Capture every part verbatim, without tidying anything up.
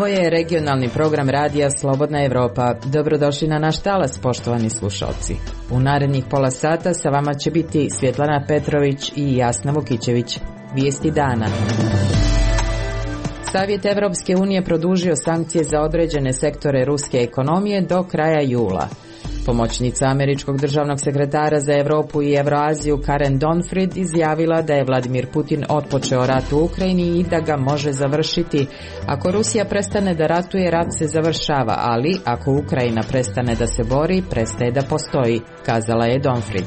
Ovo je regionalni program radija Slobodna Evropa. Dobrodošli na naš talas, poštovani slušalci. U narednih pola sata sa vama će biti Svjetlana Petrović i Jasna Vukićević. Vijesti dana. Savjet Evropske unije produžio sankcije za određene sektore ruske ekonomije do kraja jula. Pomoćnica američkog državnog sekretara za Europu i Evroaziju Karen Donfrid izjavila da je Vladimir Putin otpočeo rat u Ukrajini i da ga može završiti. Ako Rusija prestane da ratuje, rat se završava, ali ako Ukrajina prestane da se bori, prestaje da postoji, kazala je Donfrid.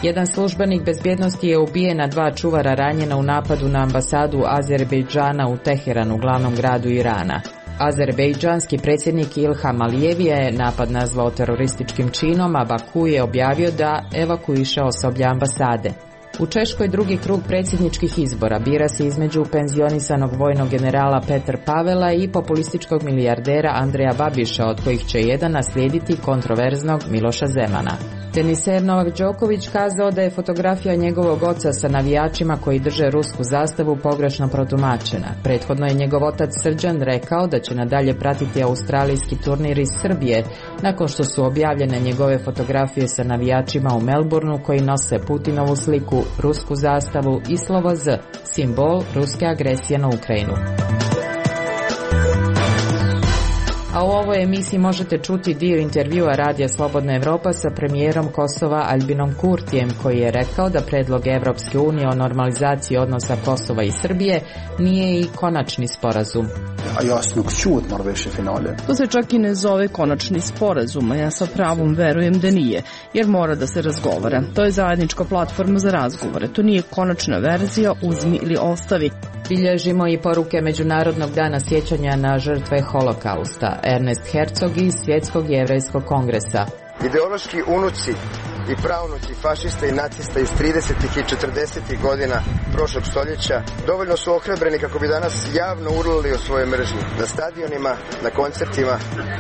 Jedan službenik bezbjednosti je ubijen, a dva čuvara ranjena u napadu na ambasadu Azerbejdžana u Teheranu, glavnom gradu Irana. Azerbejdžanski predsjednik Ilham Alijev je napad nazvao terorističkim činom, a Baku je objavio da evakuiše osoblje ambasade. U Češkoj drugi krug predsjedničkih izbora bira se između penzionisanog vojnog generala Petra Pavela i populističkog milijardera Andreja Babiša, od kojih će jedan naslijediti kontroverznog Miloša Zemana. Teniser Novak Đoković kazao da je fotografija njegovog oca sa navijačima koji drže rusku zastavu pogrešno protumačena. Prethodno je njegov otac Srđan rekao da će nadalje pratiti australijski turnir iz Srbije, nakon što su objavljene njegove fotografije sa navijačima u Melbourneu koji nose Putinovu sliku, rusku zastavu i slovo Z, simbol ruske agresije na Ukrajinu. A u ovoj emisiji možete čuti dio intervjua Radija Slobodna Evropa sa premijerom Kosova Albinom Kurtijem, koji je rekao da predlog Evropske unije o normalizaciji odnosa Kosova i Srbije nije i konačni sporazum. To se čak i ne zove konačni sporazum, a ja sa pravom verujem da nije, jer mora da se razgovara. To je zajednička platforma za razgovore, to nije konačna verzija uzmi ili ostavi. Bilježimo i poruke Međunarodnog dana sjećanja na žrtve holokausta. Ernest Herzog iz Svjetskog jevrejskog kongresa. Ideološki unuci i pravnuci fašista i nacista iz tridesetih i četrdesetih godina prošlog stoljeća dovoljno su ohrabreni kako bi danas javno urlali o svojoj mržnji na stadionima, na koncertima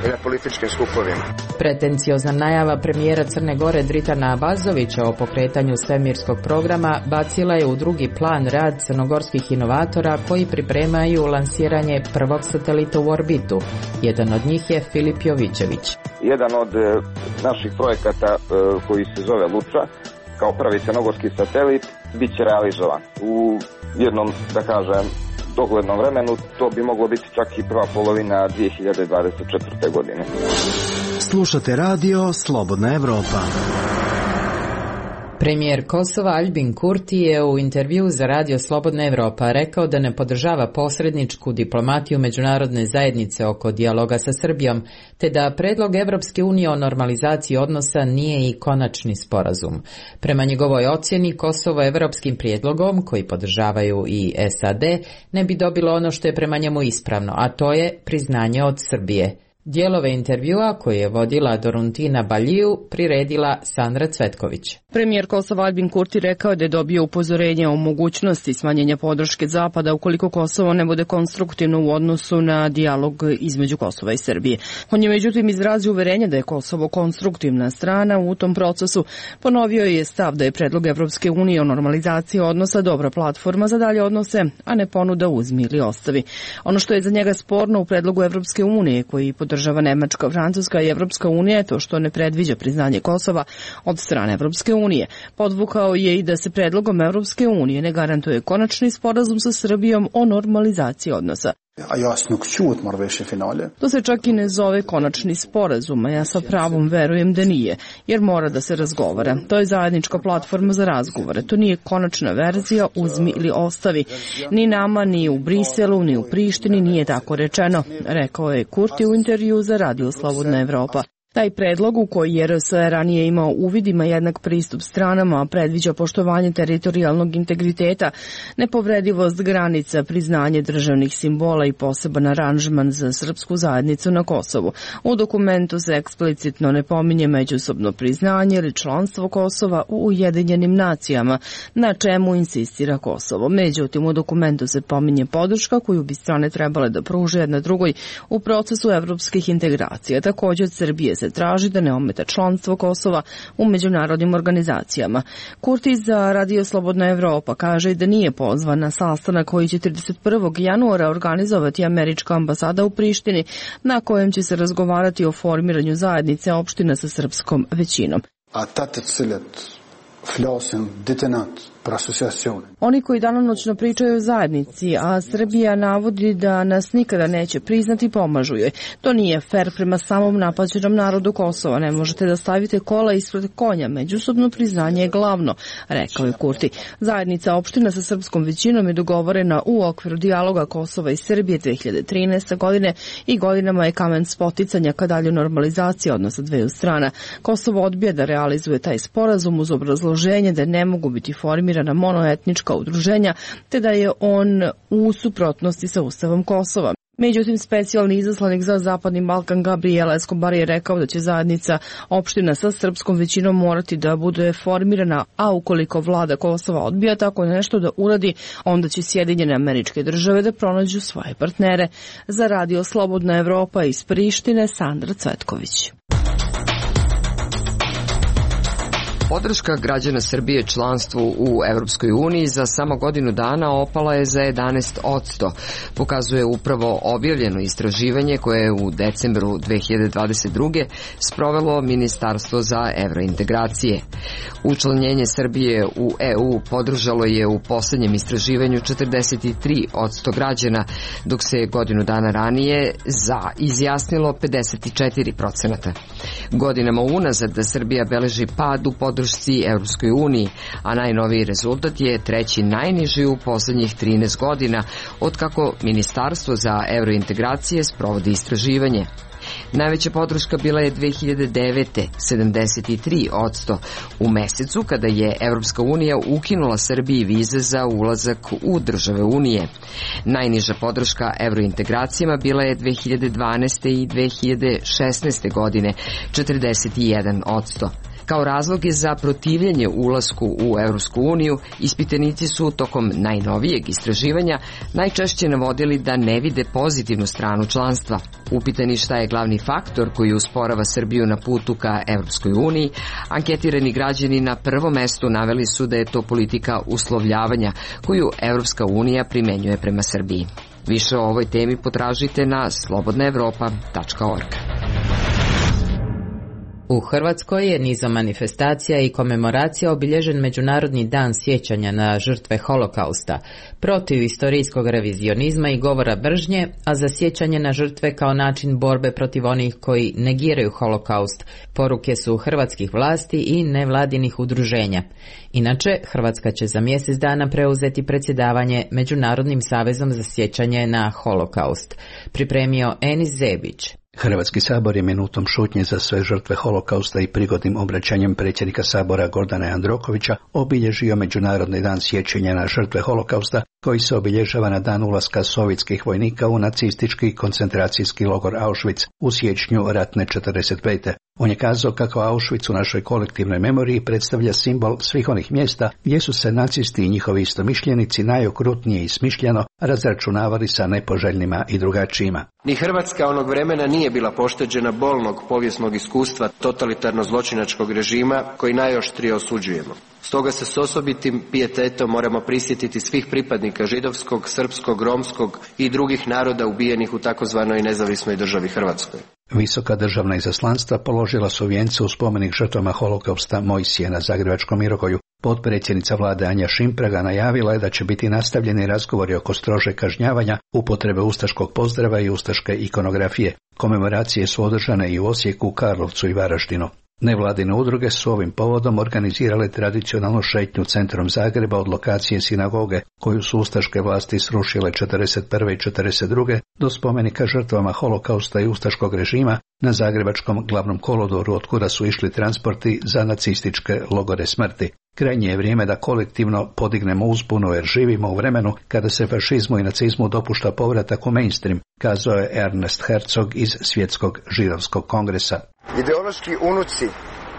i na političkim skupovima. Pretenciozna najava premijera Crne Gore Dritana Abazovića o pokretanju svemirskog programa bacila je u drugi plan rad crnogorskih inovatora koji pripremaju lansiranje prvog satelita u orbitu. Jedan od njih je Filip Jovićević. Jedan od naših projekata koji se zove Luča, kao prvi crnogorski satelit, bit će realizovan. U jednom, da kažem, doglednom vremenu to bi moglo biti čak i prva polovina dvije hiljade dvadeset četvrte. godine. Slušate radio Slobodna Evropa. Premijer Kosova Albin Kurti je u intervjuu za Radio Slobodna Evropa rekao da ne podržava posredničku diplomatiju međunarodne zajednice oko dijaloga sa Srbijom, te da predlog Evropske unije o normalizaciji odnosa nije i konačni sporazum. Prema njegovoj ocjeni, Kosovo evropskim prijedlogom, koji podržavaju i S A D, ne bi dobilo ono što je prema njemu ispravno, a to je priznanje od Srbije. Dijelove intervjua koje je vodila Doruntina Baljiju priredila Sandra Cvetković. Premijer Kosova Albin Kurti rekao da je dobio upozorenje o mogućnosti smanjenja podrške Zapada ukoliko Kosovo ne bude konstruktivno u odnosu na dijalog između Kosova i Srbije. On je međutim izrazio uverenje da je Kosovo konstruktivna strana u tom procesu. Ponovio je stav da je predlog Evropske unije o normalizaciji odnosa dobra platforma za dalje odnose, a ne ponuda uzmi ili ostavi. Ono što je za njega sporno u predlogu Evropske unije, koji podržava Nemačka, Francuska i Evropska unija, je to što ne predviđa priznanje Kosova od strane Evropske unije. Podvukao je i da se predlogom Evropske unije ne garantuje konačni sporazum sa Srbijom o normalizaciji odnosa. To se čak i ne zove konačni sporazum, a ja sa pravom verujem da nije, jer mora da se razgovara. To je zajednička platforma za razgovore, to nije konačna verzija uzmi ili ostavi. Ni nama, ni u Briselu, ni u Prištini nije tako rečeno, rekao je Kurti u intervju za Radio Slobodna Evropa. Taj predlog, u koji je R S ranije imao uvid, ima jednak pristup stranama, predviđa poštovanje teritorijalnog integriteta, nepovredivost granica, priznanje državnih simbola i poseban aranžman za srpsku zajednicu na Kosovu. U dokumentu se eksplicitno ne pominje međusobno priznanje ili članstvo Kosova u Ujedinjenim nacijama, na čemu insistira Kosovo. Međutim, u dokumentu se pominje podrška koju bi strane trebale da pruže jedna drugoj u procesu evropskih integracija. Također od Srbije se traži da ne ometa članstvo Kosova u međunarodnim organizacijama. Kurti za Radio Slobodna Evropa kaže da nije pozvan na sastanak koji će trideset prvog januara organizovati američka ambasada u Prištini, na kojem će se razgovarati o formiranju zajednice opština sa srpskom većinom. Oni koji danonoćno pričaju o zajednici, a Srbija navodi da nas nikada neće priznati, pomažu joj. To nije fer prema samom napaćenom narodu Kosova. Ne možete da stavite kola ispred konja. Međusobno priznanje je glavno, rekao je Kurti. Zajednica opština sa srpskom većinom je dogovorena u okviru dijaloga Kosova i Srbije dve hiljade trinaeste. godine i godinama je kamen spoticanja ka dalje normalizacije odnosa dveju strana. Kosovo odbija da realizuje taj sporazum uz obrazloženje da ne mogu biti formirani na monoetnička udruženja, te da je on u suprotnosti sa Ustavom Kosova. Međutim, specijalni izaslanik za Zapadni Balkan Gabriel Escobar je rekao da će zajednica opština sa srpskom većinom morati da bude formirana, a ukoliko vlada Kosova odbija tako nešto da uradi, onda će Sjedinjene Američke Države da pronađu svoje partnere. Za Radio Slobodna Evropa iz Prištine, Sandra Cvetković. Podrška građana Srbije članstvu u Evropskoj uniji za samo godinu dana opala je za jedanaest posto, pokazuje upravo objavljeno istraživanje koje je u decembru dve hiljade dvadeset druge. sprovelo Ministarstvo za evrointegracije. Učlanjenje Srbije u E U podržalo je u poslednjem istraživanju četrdeset tri posto građana, dok se godinu dana ranije za izjasnilo pedeset četiri posto. Godinama unazad da Srbija beleži pad u podršci Evropskoj uniji, a najnoviji rezultat je treći najniži u poslednjih trinaest godina, otkako Ministarstvo za evrointegracije sprovodi istraživanje. Najveća podrška bila je dve hiljade devete. sedamdeset tri posto u mesecu kada je Evropska unija ukinula Srbiji vize za ulazak u države Unije. Najniža podrška evrointegracijama bila je dve hiljade dvanaeste. i dve hiljade šesnaeste. godine, četrdeset jedan posto. Kao razloge za protivljenje ulasku u Evropsku uniju, ispitanici su tokom najnovijeg istraživanja najčešće navodili da ne vide pozitivnu stranu članstva. Upitani šta je glavni faktor koji usporava Srbiju na putu ka Evropskoj uniji, anketirani građani na prvom mestu naveli su da je to politika uslovljavanja koju Evropska unija primenjuje prema Srbiji. Više o ovoj temi potražite na slobodna evropa tačka org. U Hrvatskoj je nizom manifestacija i komemoracija obilježen Međunarodni dan sjećanja na žrtve Holokausta, protiv istorijskog revizionizma i govora mržnje, a za sjećanje na žrtve kao način borbe protiv onih koji negiraju Holokaust, poruke su hrvatskih vlasti i nevladinih udruženja. Inače, Hrvatska će za mjesec dana preuzeti predsjedavanje Međunarodnim savezom za sjećanje na Holokaust. Pripremio Enis Zebić. Hrvatski sabor je minutom šutnje za sve žrtve Holokausta i prigodnim obraćanjem predsjednika sabora Gordana Jandrokovića obilježio Međunarodni dan sjećanja na žrtve Holokausta, koji se obilježava na dan ulaska sovjetskih vojnika u nacistički koncentracijski logor Auschwitz u siječnju ratne četrdeset pete. On je kazao kako Auschwitz u našoj kolektivnoj memoriji predstavlja simbol svih onih mjesta gdje su se nacisti i njihovi istomišljenici najokrutnije i smišljeno razračunavali sa nepoželjnima i drugačijima. Ni Hrvatska onog vremena nije bila pošteđena bolnog povijesnog iskustva totalitarno-zločinačkog režima koji najoštrije osuđujemo. Stoga se s osobitim pijetetom moramo prisjetiti svih pripadnika židovskog, srpskog, romskog i drugih naroda ubijenih u takozvanoj nezavisnoj državi Hrvatskoj. Visoka državna izaslanstva položila su vijence u spomenik žrtvama Holokausta Mojsije na Zagrebačkom Mirogoju. Potpredsjednica vlade Anja Šimpraga najavila je da će biti nastavljeni razgovori oko strože kažnjavanja, upotrebe ustaškog pozdrava i ustaške ikonografije. Komemoracije su održane i u Osijeku, Karlovcu i Varaždinu. Nevladine udruge su ovim povodom organizirale tradicionalnu šetnju centrom Zagreba od lokacije sinagoge, koju su ustaške vlasti srušile četrdeset prve i četrdeset druge do spomenika žrtvama Holokausta i ustaškog režima na Zagrebačkom glavnom kolodoru, od kuda su išli transporti za nacističke logore smrti. Krajnje je vrijeme da kolektivno podignemo uzbunu jer živimo u vremenu kada se fašizmu i nacizmu dopušta povratak u mainstream, kazao je Ernest Herzog iz Svjetskog židovskog kongresa. Ideološki unuci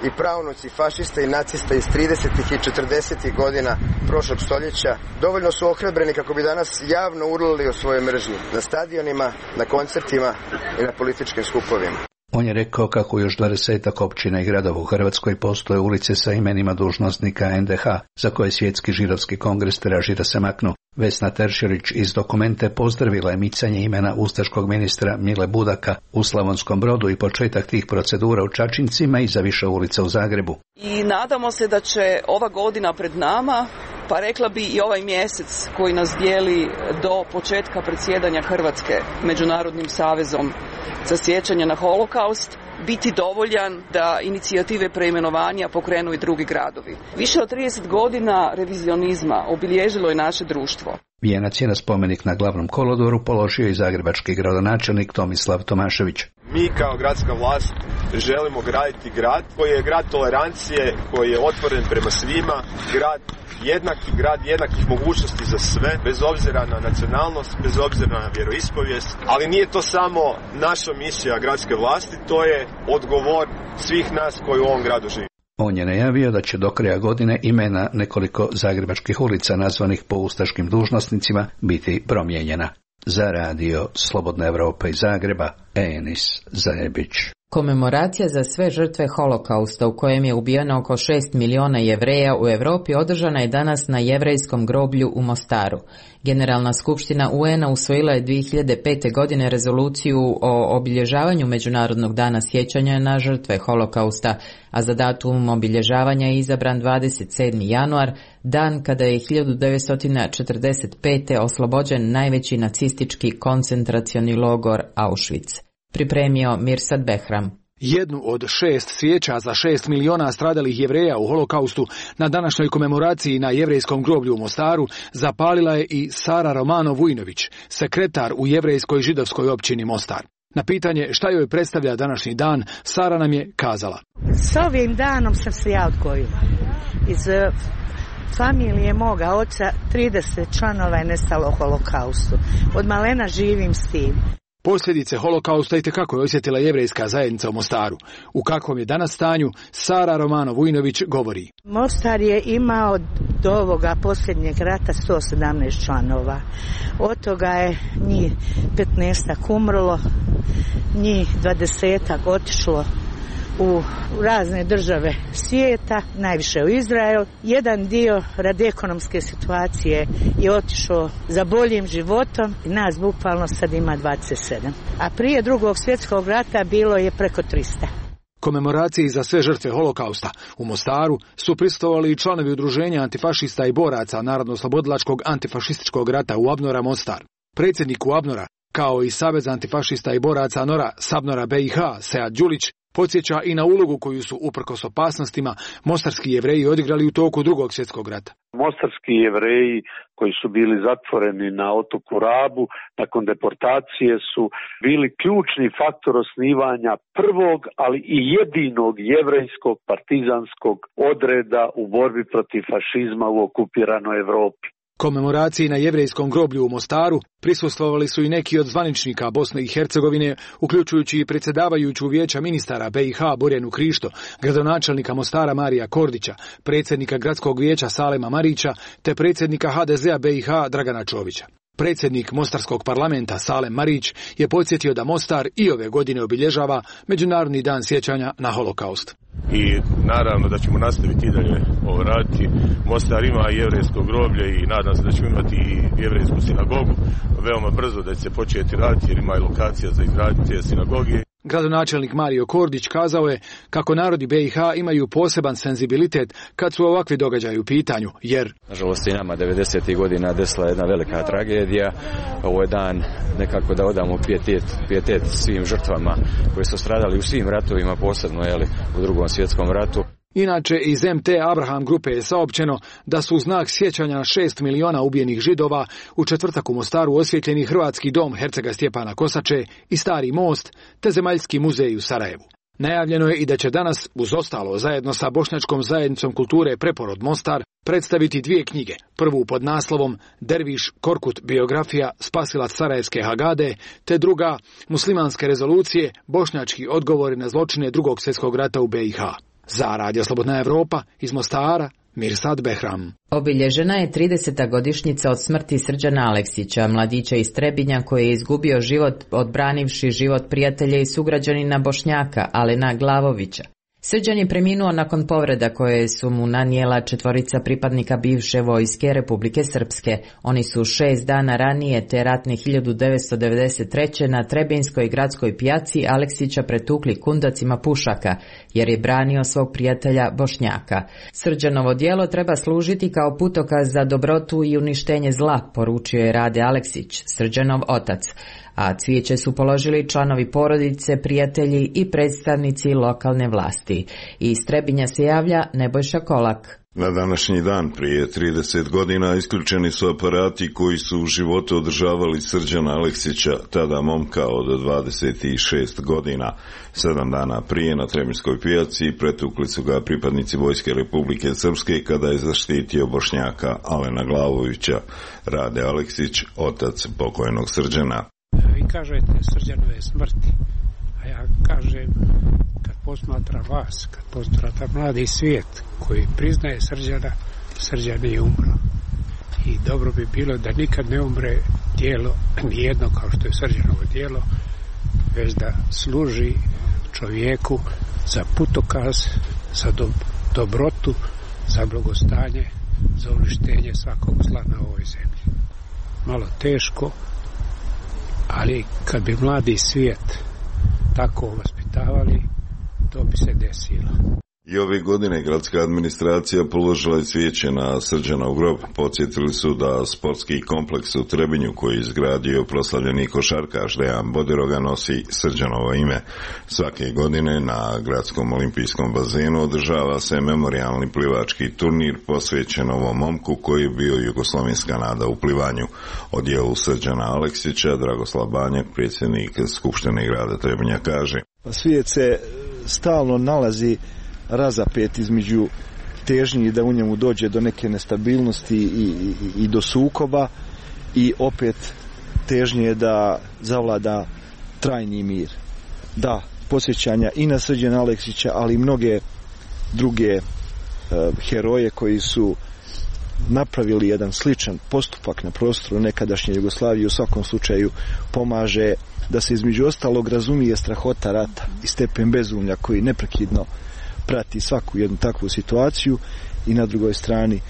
i pravnuci fašista i nacista iz tridesetih i četrdesetih godina prošlog stoljeća dovoljno su ohrabreni kako bi danas javno urlali o svojoj mržnji na stadionima, na koncertima i na političkim skupovima. On je rekao kako još dvadesetak općina i gradova u Hrvatskoj postoje ulice sa imenima dužnosnika en de ha, za koje Svjetski židovski kongres traži da se maknu. Vesna Teršelić iz Dokumente pozdravila je micanje imena ustaškog ministra Mile Budaka u Slavonskom Brodu i početak tih procedura u Čačincima i za više ulica u Zagrebu. I nadamo se da će ova godina pred nama, pa rekla bi i ovaj mjesec koji nas dijeli do početka predsjedanja Hrvatske Međunarodnim savezom za sjećanje na holokaust, biti dovoljan da inicijative preimenovanja pokrenu i drugi gradovi. Više od trideset godina revizionizma obilježilo je naše društvo. Vijenac je na spomenik na Glavnom kolodvoru položio i zagrebački gradonačelnik Tomislav Tomašević. Mi kao gradska vlast želimo graditi grad koji je grad tolerancije, koji je otvoren prema svima, grad jednaki, grad jednakih mogućnosti za sve, bez obzira na nacionalnost, bez obzira na vjeroispovijest, ali nije to samo naša misija gradske vlasti, to je odgovor svih nas koji u ovom gradu živi. On je najavio da će do kraja godine imena nekoliko zagrebačkih ulica nazvanih po ustaškim dužnosnicima biti promijenjena. Za radio Slobodna Evropa iz Zagreba, Enis Zajebić. Komemoracija za sve žrtve holokausta u kojem je ubijeno oko šest miliona Jevreja u Europi održana je danas na jevrejskom groblju u Mostaru. Generalna skupština u en a usvojila je dvije hiljade pete. godine rezoluciju o obilježavanju Međunarodnog dana sjećanja na žrtve holokausta, a za datum obilježavanja je izabran dvadeset sedmi januar, dan kada je hiljadu devetsto četrdeset pete. oslobođen najveći nacistički koncentracioni logor Auschwitz. Pripremio Mirsad Behram. Jednu od šest svijeća za šest miliona stradalih Jevreja u holokaustu na današnjoj komemoraciji na jevrejskom groblju u Mostaru zapalila je i Sara Romano-Vujnović, sekretar u jevrejskoj židovskoj općini Mostar. Na pitanje šta joj predstavlja današnji dan, Sara nam je kazala. S ovim danom sam se ja odgojila. Iz familije moga oca trideset članova je nestalo u holokaustu. Od malena živim s tim. Posljedice holokausta itekako je osjetila jevrejska zajednica u Mostaru. U kakvom je danas stanju, Sara Romano-Vujnović govori. Mostar je imao do ovoga posljednjeg rata sto sedamnaest članova. Od toga je njih petnaestak umrlo, njih dvadesetak otišlo u razne države svijeta, najviše u Izrael. Jedan dio radi ekonomske situacije je otišao za boljim životom i nas bukvalno sad ima dvadeset sedam. A prije drugog svjetskog rata bilo je preko tristo. Komemoraciji za sve žrtve holokausta u Mostaru su prisustvovali i članovi udruženja antifašista i boraca Narodno-oslobodilačkog antifašističkog rata u Abnora Mostar. Predsjednik u Abnora, kao i Savez antifašista i boraca Nora Sabnora be i ha, Sead Đulić, podsjeća i na ulogu koju su uprkos opasnostima mostarski Jevreji odigrali u toku drugog svjetskog rata. Mostarski Jevreji koji su bili zatvoreni na otoku Rabu nakon deportacije su bili ključni faktor osnivanja prvog, ali i jedinog jevrejskog partizanskog odreda u borbi protiv fašizma u okupiranoj Europi. Komemoraciji na jevrejskom groblju u Mostaru prisustvovali su i neki od zvaničnika Bosne i Hercegovine, uključujući i predsjedavajuću vijeća ministara be i ha Borjanu Krišto, gradonačelnika Mostara Marija Kordića, predsjednika gradskog vijeća Salema Marića, te predsjednika ha de zea be i ha Dragana Čovića. Predsjednik Mostarskog parlamenta Salem Marić je podsjetio da Mostar i ove godine obilježava Međunarodni dan sjećanja na holokaust. I naravno da ćemo nastaviti i dalje ovo raditi. Mostar ima jevrejsko groblje i nadam se da ćemo imati i jevrejsku sinagogu veoma brzo, da će se početi raditi jer ima i lokacija za izgradnju te sinagoge. Gradonačelnik Mario Kordić kazao je kako narodi be i ha imaju poseban senzibilitet kad su ovakvi događaji u pitanju, jer nažalost i nama devedesetih godina desila jedna velika tragedija. Ovo je dan nekako da odamo pijetet, pijetet svim žrtvama koji su stradali u svim ratovima, posebno jeli, u drugom svjetskom ratu. Inače, iz em te Abraham grupe je saopćeno da su u znak sjećanja na šest miliona ubijenih Židova u četvrtak u Mostaru osvjetljeni Hrvatski dom hercega Stjepana Kosače i Stari most, te Zemaljski muzej u Sarajevu. Najavljeno je i da će danas, uz ostalo, zajedno sa Bošnjačkom zajednicom kulture Preporod Mostar, predstaviti dvije knjige. Prvu pod naslovom Derviš Korkut biografija spasilac Sarajevske Hagade, te druga Muslimanske rezolucije, bošnjački odgovori na zločine drugog svjetskog rata u be i ha. Za Radio Slobodna Evropa iz Mostara, Mirsad Behram. Obilježena je trideseta godišnjica od smrti Srđana Aleksića, mladića iz Trebinja koji je izgubio život odbranivši život prijatelja i sugrađanina Bošnjaka, Alena Glavovića. Srđan je preminuo nakon povreda koje su mu nanijela četvorica pripadnika bivše vojske Republike Srpske. Oni su šest dana ranije te ratne hiljadu devetsto devedeset treće na Trebinskoj gradskoj pijaci Aleksića pretukli kundacima pušaka, jer je branio svog prijatelja Bošnjaka. Srđanovo djelo treba služiti kao putokaz za dobrotu i uništenje zla, poručio je Rade Aleksić, Srđanov otac. A cvijeće su položili članovi porodice, prijatelji i predstavnici lokalne vlasti. Iz Trebinja se javlja Nebojša Kolak. Na današnji dan prije trideset godina isključeni su aparati koji su u životu održavali Srđana Aleksića, tada momka od dvadeset šest godina. Sedam dana prije na Trebinskoj pijaci pretukli su ga pripadnici Vojske Republike Srpske kada je zaštitio Bošnjaka Alena Glavovića. Rade Aleksić, otac pokojnog Srđana. Vi kažete Srđanove smrti, a ja kažem kad posmatra vas, kad posmatra mladi svijet koji priznaje Srđana, Srđan je umro. I dobro bi bilo da nikad ne umre djelo, nijedno kao što je Srđanovo djelo, već da služi čovjeku za putokaz, za do, dobrotu, za blagostanje, za uništenje svakog zla na ovoj zemlji. Malo teško, ali kad bi mladi svijet tako vaspitavali, to bi se desilo. I ove godine gradska administracija položila je cvijeće na Srđanov grob. Podsjetili su da sportski kompleks u Trebinju koji je izgradio proslavljeni košarkaš Dejan Bodiroga nosi Srđanovo ime. Svake godine na gradskom olimpijskom bazenu održava se memorijalni plivački turnir posvećen ovom momku koji je bio jugoslovenska nada u plivanju. O djelu Srđana Aleksića Dragoslav Banjak, predsjednik Skupštine grada Trebinja, kaže: Svijet se stalno nalazi razapet između težnji da u njemu dođe do neke nestabilnosti i, i, i do sukoba i opet težnje da zavlada trajni mir. Da, posjećanja i na Srđana Aleksića, ali i mnoge druge uh, heroje koji su napravili jedan sličan postupak na prostoru nekadašnje Jugoslavije, u svakom slučaju pomaže da se između ostalog razumije strahota rata i stepen bezumlja koji neprekidno prati svaku jednu takvu situaciju i na drugoj strani e,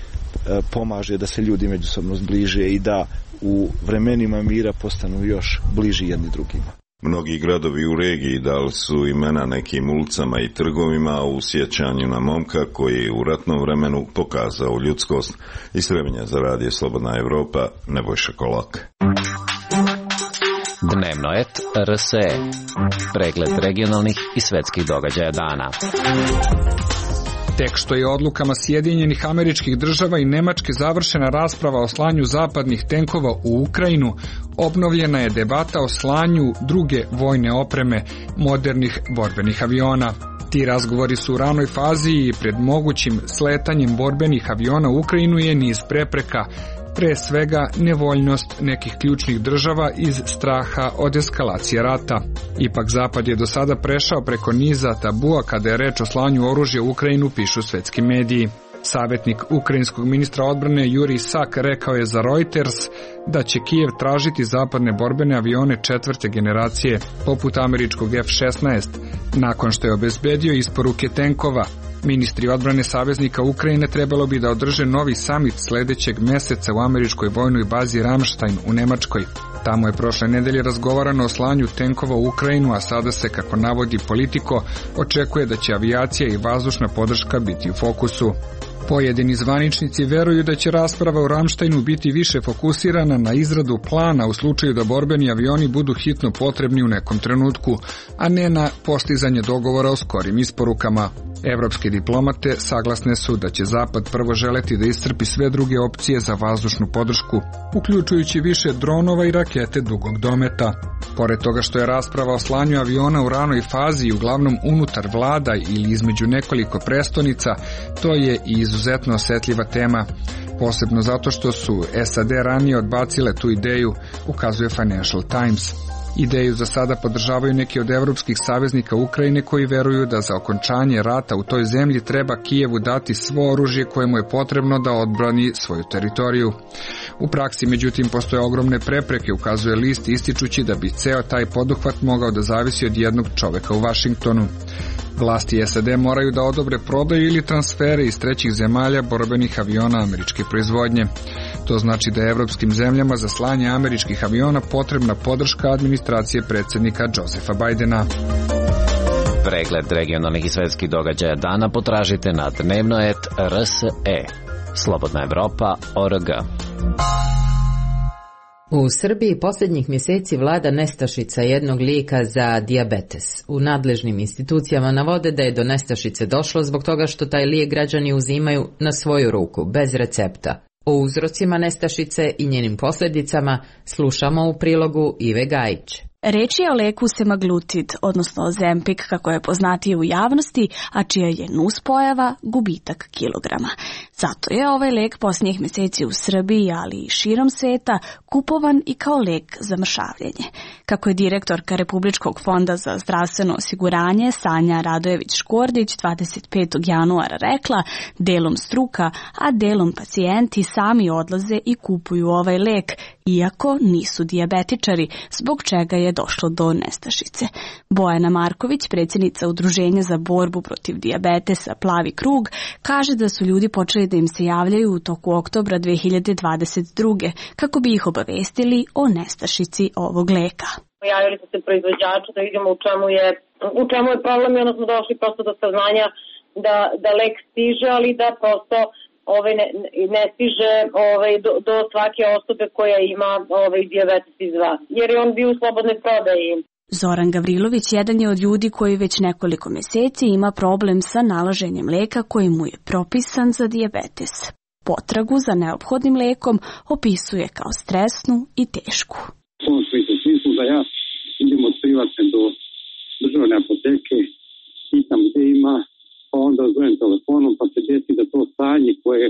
pomaže da se ljudi međusobno zbliže i da u vremenima mira postanu još bliži jedni drugima. Mnogi gradovi u regiji dali su imena nekim ulicama i trgovima u sjećanju na momka koji je u ratnom vremenu pokazao ljudskost. Iz Trebinja za radio Slobodna Evropa, Nebojša Kolak. Dnevnoet R S E. Pregled regionalnih i svetskih događaja dana. Tek što je odlukama Sjedinjenih Američkih Država i Nemačke završena rasprava o slanju zapadnih tenkova u Ukrajinu, obnovljena je debata o slanju druge vojne opreme, modernih borbenih aviona. Ti razgovori su u ranoj fazi i pred mogućim sletanjem borbenih aviona u Ukrajinu je niz prepreka, pre svega nevoljnost nekih ključnih država iz straha od eskalacije rata. Ipak Zapad je do sada prešao preko niza tabua kada je reč o slanju oružja u Ukrajinu, pišu svetski mediji. Savjetnik ukrajinskog ministra odbrane Jurij Sak rekao je za Reuters da će Kijev tražiti zapadne borbene avione četvrte generacije, poput američkog F šesnaest, nakon što je obezbedio isporuke tenkova. Ministri odbrane saveznika Ukrajine trebalo bi da održe novi samit sledećeg meseca u američkoj vojnoj bazi Ramstein u Nemačkoj. Tamo je prošle nedelje razgovarano o slanju tenkova u Ukrajinu, a sada se, kako navodi Politico, očekuje da će avijacija i vazdušna podrška biti u fokusu. Pojedini zvaničnici veruju da će rasprava u Ramsteinu biti više fokusirana na izradu plana u slučaju da borbeni avioni budu hitno potrebni u nekom trenutku, a ne na postizanje dogovora o skorim isporukama. Evropske diplomate saglasne su da će Zapad prvo želeti da iscrpi sve druge opcije za vazdušnu podršku, uključujući više dronova i rakete dugog dometa. Pored toga što je rasprava o slanju aviona u ranoj fazi i uglavnom unutar vlada ili između nekoliko prestonica, to je i izuzetno osetljiva tema, posebno zato što su S A D ranije odbacile tu ideju, ukazuje Financial Times. Ideju za sada podržavaju neki od evropskih saveznika Ukrajine koji veruju da za okončanje rata u toj zemlji treba Kijevu dati svo oružje koje mu je potrebno da odbrani svoju teritoriju. U praksi, međutim, postoje ogromne prepreke, ukazuje list, ističući da bi ceo taj poduhvat mogao da zavisi od jednog čoveka u Vašingtonu. Vlasti S A D moraju da odobre prodaju ili transfere iz trećih zemalja borbenih aviona američke proizvodnje. To znači da je evropskim zemljama za slanje američkih aviona potrebna podrška administracije predsjednika Josefa Bajdena. Pregled regionalnih i svetskih događaja dana potražite na dnevno et R S E. Slobodna Evropa точка орг. U Srbiji posljednjih mjeseci vlada nestašica jednog lijeka za dijabetes. U nadležnim institucijama navode da je do nestašice došlo zbog toga što taj lijek građani uzimaju na svoju ruku, bez recepta. O uzrocima nestašice i njenim posljedicama slušamo u prilogu Ive Gajić. Reč je o leku semaglutid, odnosno Ozempic kako je poznatiji u javnosti, a čija je nuspojava gubitak kilograma. Zato je ovaj lek posljednjih mjeseci u Srbiji, ali i širom sveta, kupovan i kao lek za mršavljenje. Kako je direktorka Republičkog fonda za zdravstveno osiguranje Sanja Radojević-Škordić dvadeset petog januara rekla, delom struka, a delom pacijenti sami odlaze i kupuju ovaj lek, iako nisu dijabetičari, zbog čega je došlo do nestašice. Bojana Marković, predsjednica Udruženja za borbu protiv dijabetesa Plavi krug, kaže da su ljudi počeli da im se javljaju u toku oktobra dve hiljade dvadeset druge kako bi ih obavestili o nestašici ovog leka. Pojavili su se proizvođači da vidimo u čemu je, u čemu je problem i onda smo došli prosto do saznanja da, da lek stiže, ali da prosto ovaj ne, ne stiže ovaj, do, do svake osobe koja ima ovaj, dijabetes iz dva, jer je on bio u slobodnoj prodaji. Zoran Gavrilović jedan je od ljudi koji već nekoliko mjeseci ima problem sa nalaženjem leka koji mu je propisan za dijabetes. Potragu za neophodnim lekom opisuje kao stresnu i tešku. U tom smislu da ja idem od privatne do državne apoteke, pitam gdje ima, pa onda zovem telefonom, pa se desi da to stanje koje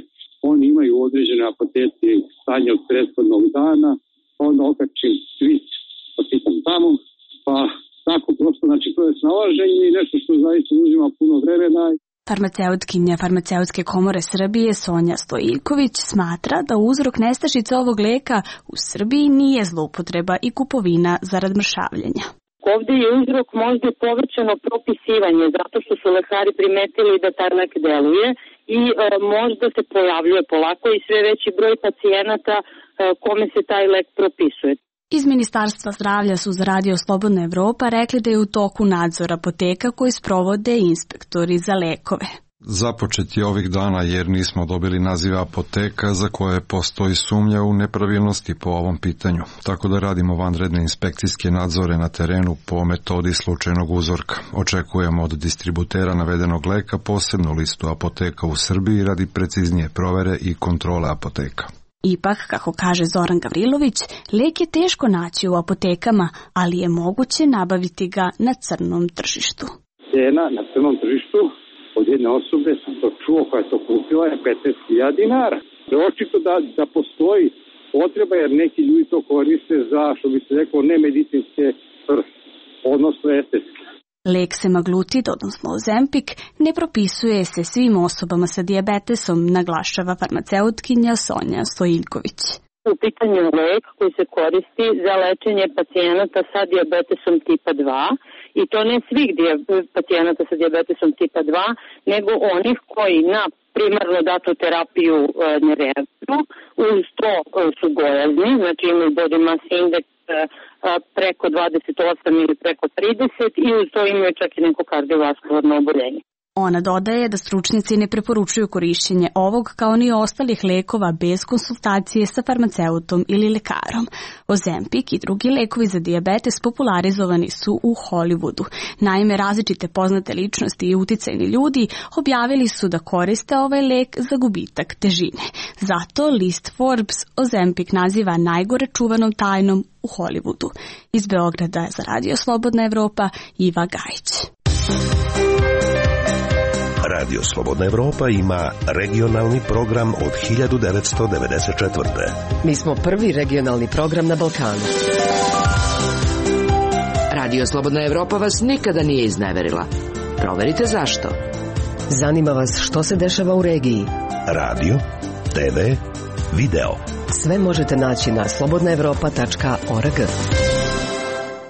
oni imaju u određene apoteci, stanje od prethodnog dana, pa onda okačim svit, pa pitam tamo, pa tako prosto, znači to je snalaženje i nešto što zaista uzima puno vremena. Farmaceutkinja Farmaceutske komore Srbije Sonja Stojiljković smatra da uzrok nestašice ovog leka u Srbiji nije zloupotreba i kupovina zarad mršavljenja. Ovdje je uzrok možda povrćeno propisivanje, zato što su lekari primetili da taj lek deluje i e, možda se pojavljuje polako i sve veći broj pacijenata e, kome se taj lek propisuje. Iz Ministarstva zdravlja su za Radio Slobodna Evropa rekli da je u toku nadzor apoteka koji sprovode inspektori za lekove. Započet je ovih dana jer nismo dobili nazive apoteka za koje postoji sumnja u nepravilnosti po ovom pitanju. Tako da radimo vanredne inspekcijske nadzore na terenu po metodi slučajnog uzorka. Očekujemo od distributera navedenog leka posebnu listu apoteka u Srbiji radi preciznije provere i kontrole apoteka. Ipak, kako kaže Zoran Gavrilović, lek je teško naći u apotekama, ali je moguće nabaviti ga na crnom tržištu. Cena na crnom tržištu od jedne osobe, sam to čuo, koja je to kupila, je petnaest hiljada dinara. Očito da, da postoji potreba jer neki ljudi to koriste za, što bi se rekao, nemedicinske svrhe, odnosno estetske. Lek semaglutid, odnosno Ozempic, ne propisuje se svim osobama sa dijabetesom, naglašava farmaceutkinja Sonja Stojiljković. U pitanju lek koji se koristi za lečenje pacijenata sa dijabetesom tipa dva i to ne svih pacijenata sa dijabetesom tipa dva, nego onih koji na primarno datu terapiju e, ne reaguju, uz to e, su gojazni, znači imaju body mass index e, preko dvadeset osam ili preko trideset i uz to imaju čak i neko kardiovaskularno oboljenje. Ona dodaje da stručnjaci ne preporučuju korišćenje ovog kao ni ostalih lekova bez konsultacije sa farmaceutom ili lekarom. Ozempic i drugi lekovi za dijabetes popularizovani su u Hollywoodu. Naime, različite poznate ličnosti i uticajni ljudi objavili su da koriste ovaj lek za gubitak težine. Zato list Forbes Ozempic naziva najgore čuvanom tajnom u Hollywoodu. Iz Beograda je za Radio Slobodna Evropa Iva Gajić. Radio Slobodna Evropa ima regionalni program od hiljadu devetsto devedeset četvrte. Mi smo prvi regionalni program na Balkanu. Radio Slobodna Evropa vas nikada nije izneverila. Proverite zašto. Zanima vas što se dešava u regiji? Radio, te ve, video. Sve možete naći na slobodna evropa tačka org.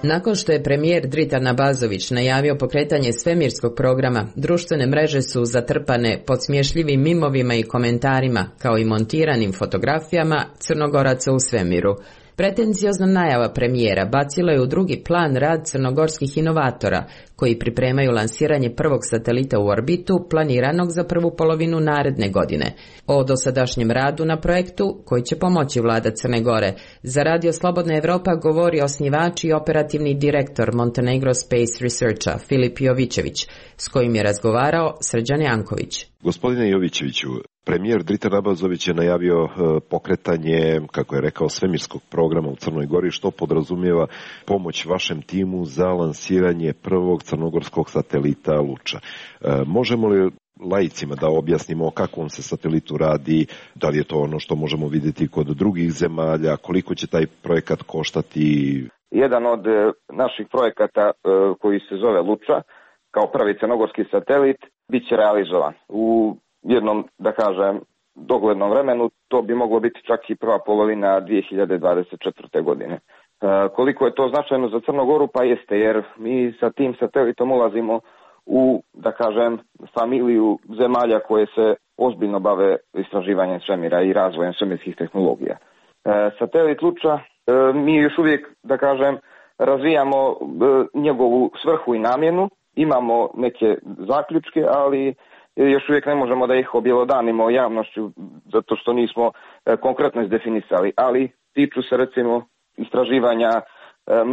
Nakon što je premijer Dritan Abazović najavio pokretanje svemirskog programa, društvene mreže su zatrpane podsmješljivim mimovima i komentarima, kao i montiranim fotografijama Crnogoraca u svemiru. Pretenziozna najava premijera bacila je u drugi plan rad crnogorskih inovatora, koji pripremaju lansiranje prvog satelita u orbitu, planiranog za prvu polovinu naredne godine. O dosadašnjem radu na projektu, koji će pomoći vlada Crne Gore, za Radio Slobodna Evropa govori osnivač i operativni direktor Montenegro Space Researcha Filip Jovićević, s kojim je razgovarao Srđan Janković. Gospodine Jovićeviću, premijer Dritan Abazović je najavio pokretanje, kako je rekao, svemirskog programa u Crnoj Gori, što podrazumijeva pomoć vašem timu za lansiranje prvog crnogorskog satelita Luča. Možemo li laicima da objasnimo o kakvom se satelitu radi, da li je to ono što možemo vidjeti kod drugih zemalja, koliko će taj projekat koštati? Jedan od naših projekata koji se zove Luča, kao prvi crnogorski satelit, bit će realizovan u jednom, da kažem, doglednom vremenu. To bi moglo biti čak i prva polovina dvije hiljade dvadeset četvrte. godine. E, koliko je to značajno za Crnu Goru? Pa jeste, jer mi sa tim satelitom ulazimo u, da kažem, familiju zemalja koje se ozbiljno bave istraživanjem svemira i razvojem svemirskih tehnologija. E, satelit Luča, e, mi još uvijek, da kažem, razvijamo e, njegovu svrhu i namjenu, imamo neke zaključke, ali još uvijek ne možemo da ih objelodanimo javnošću zato što nismo e, konkretno izdefinisali, ali tiču se recimo istraživanja e,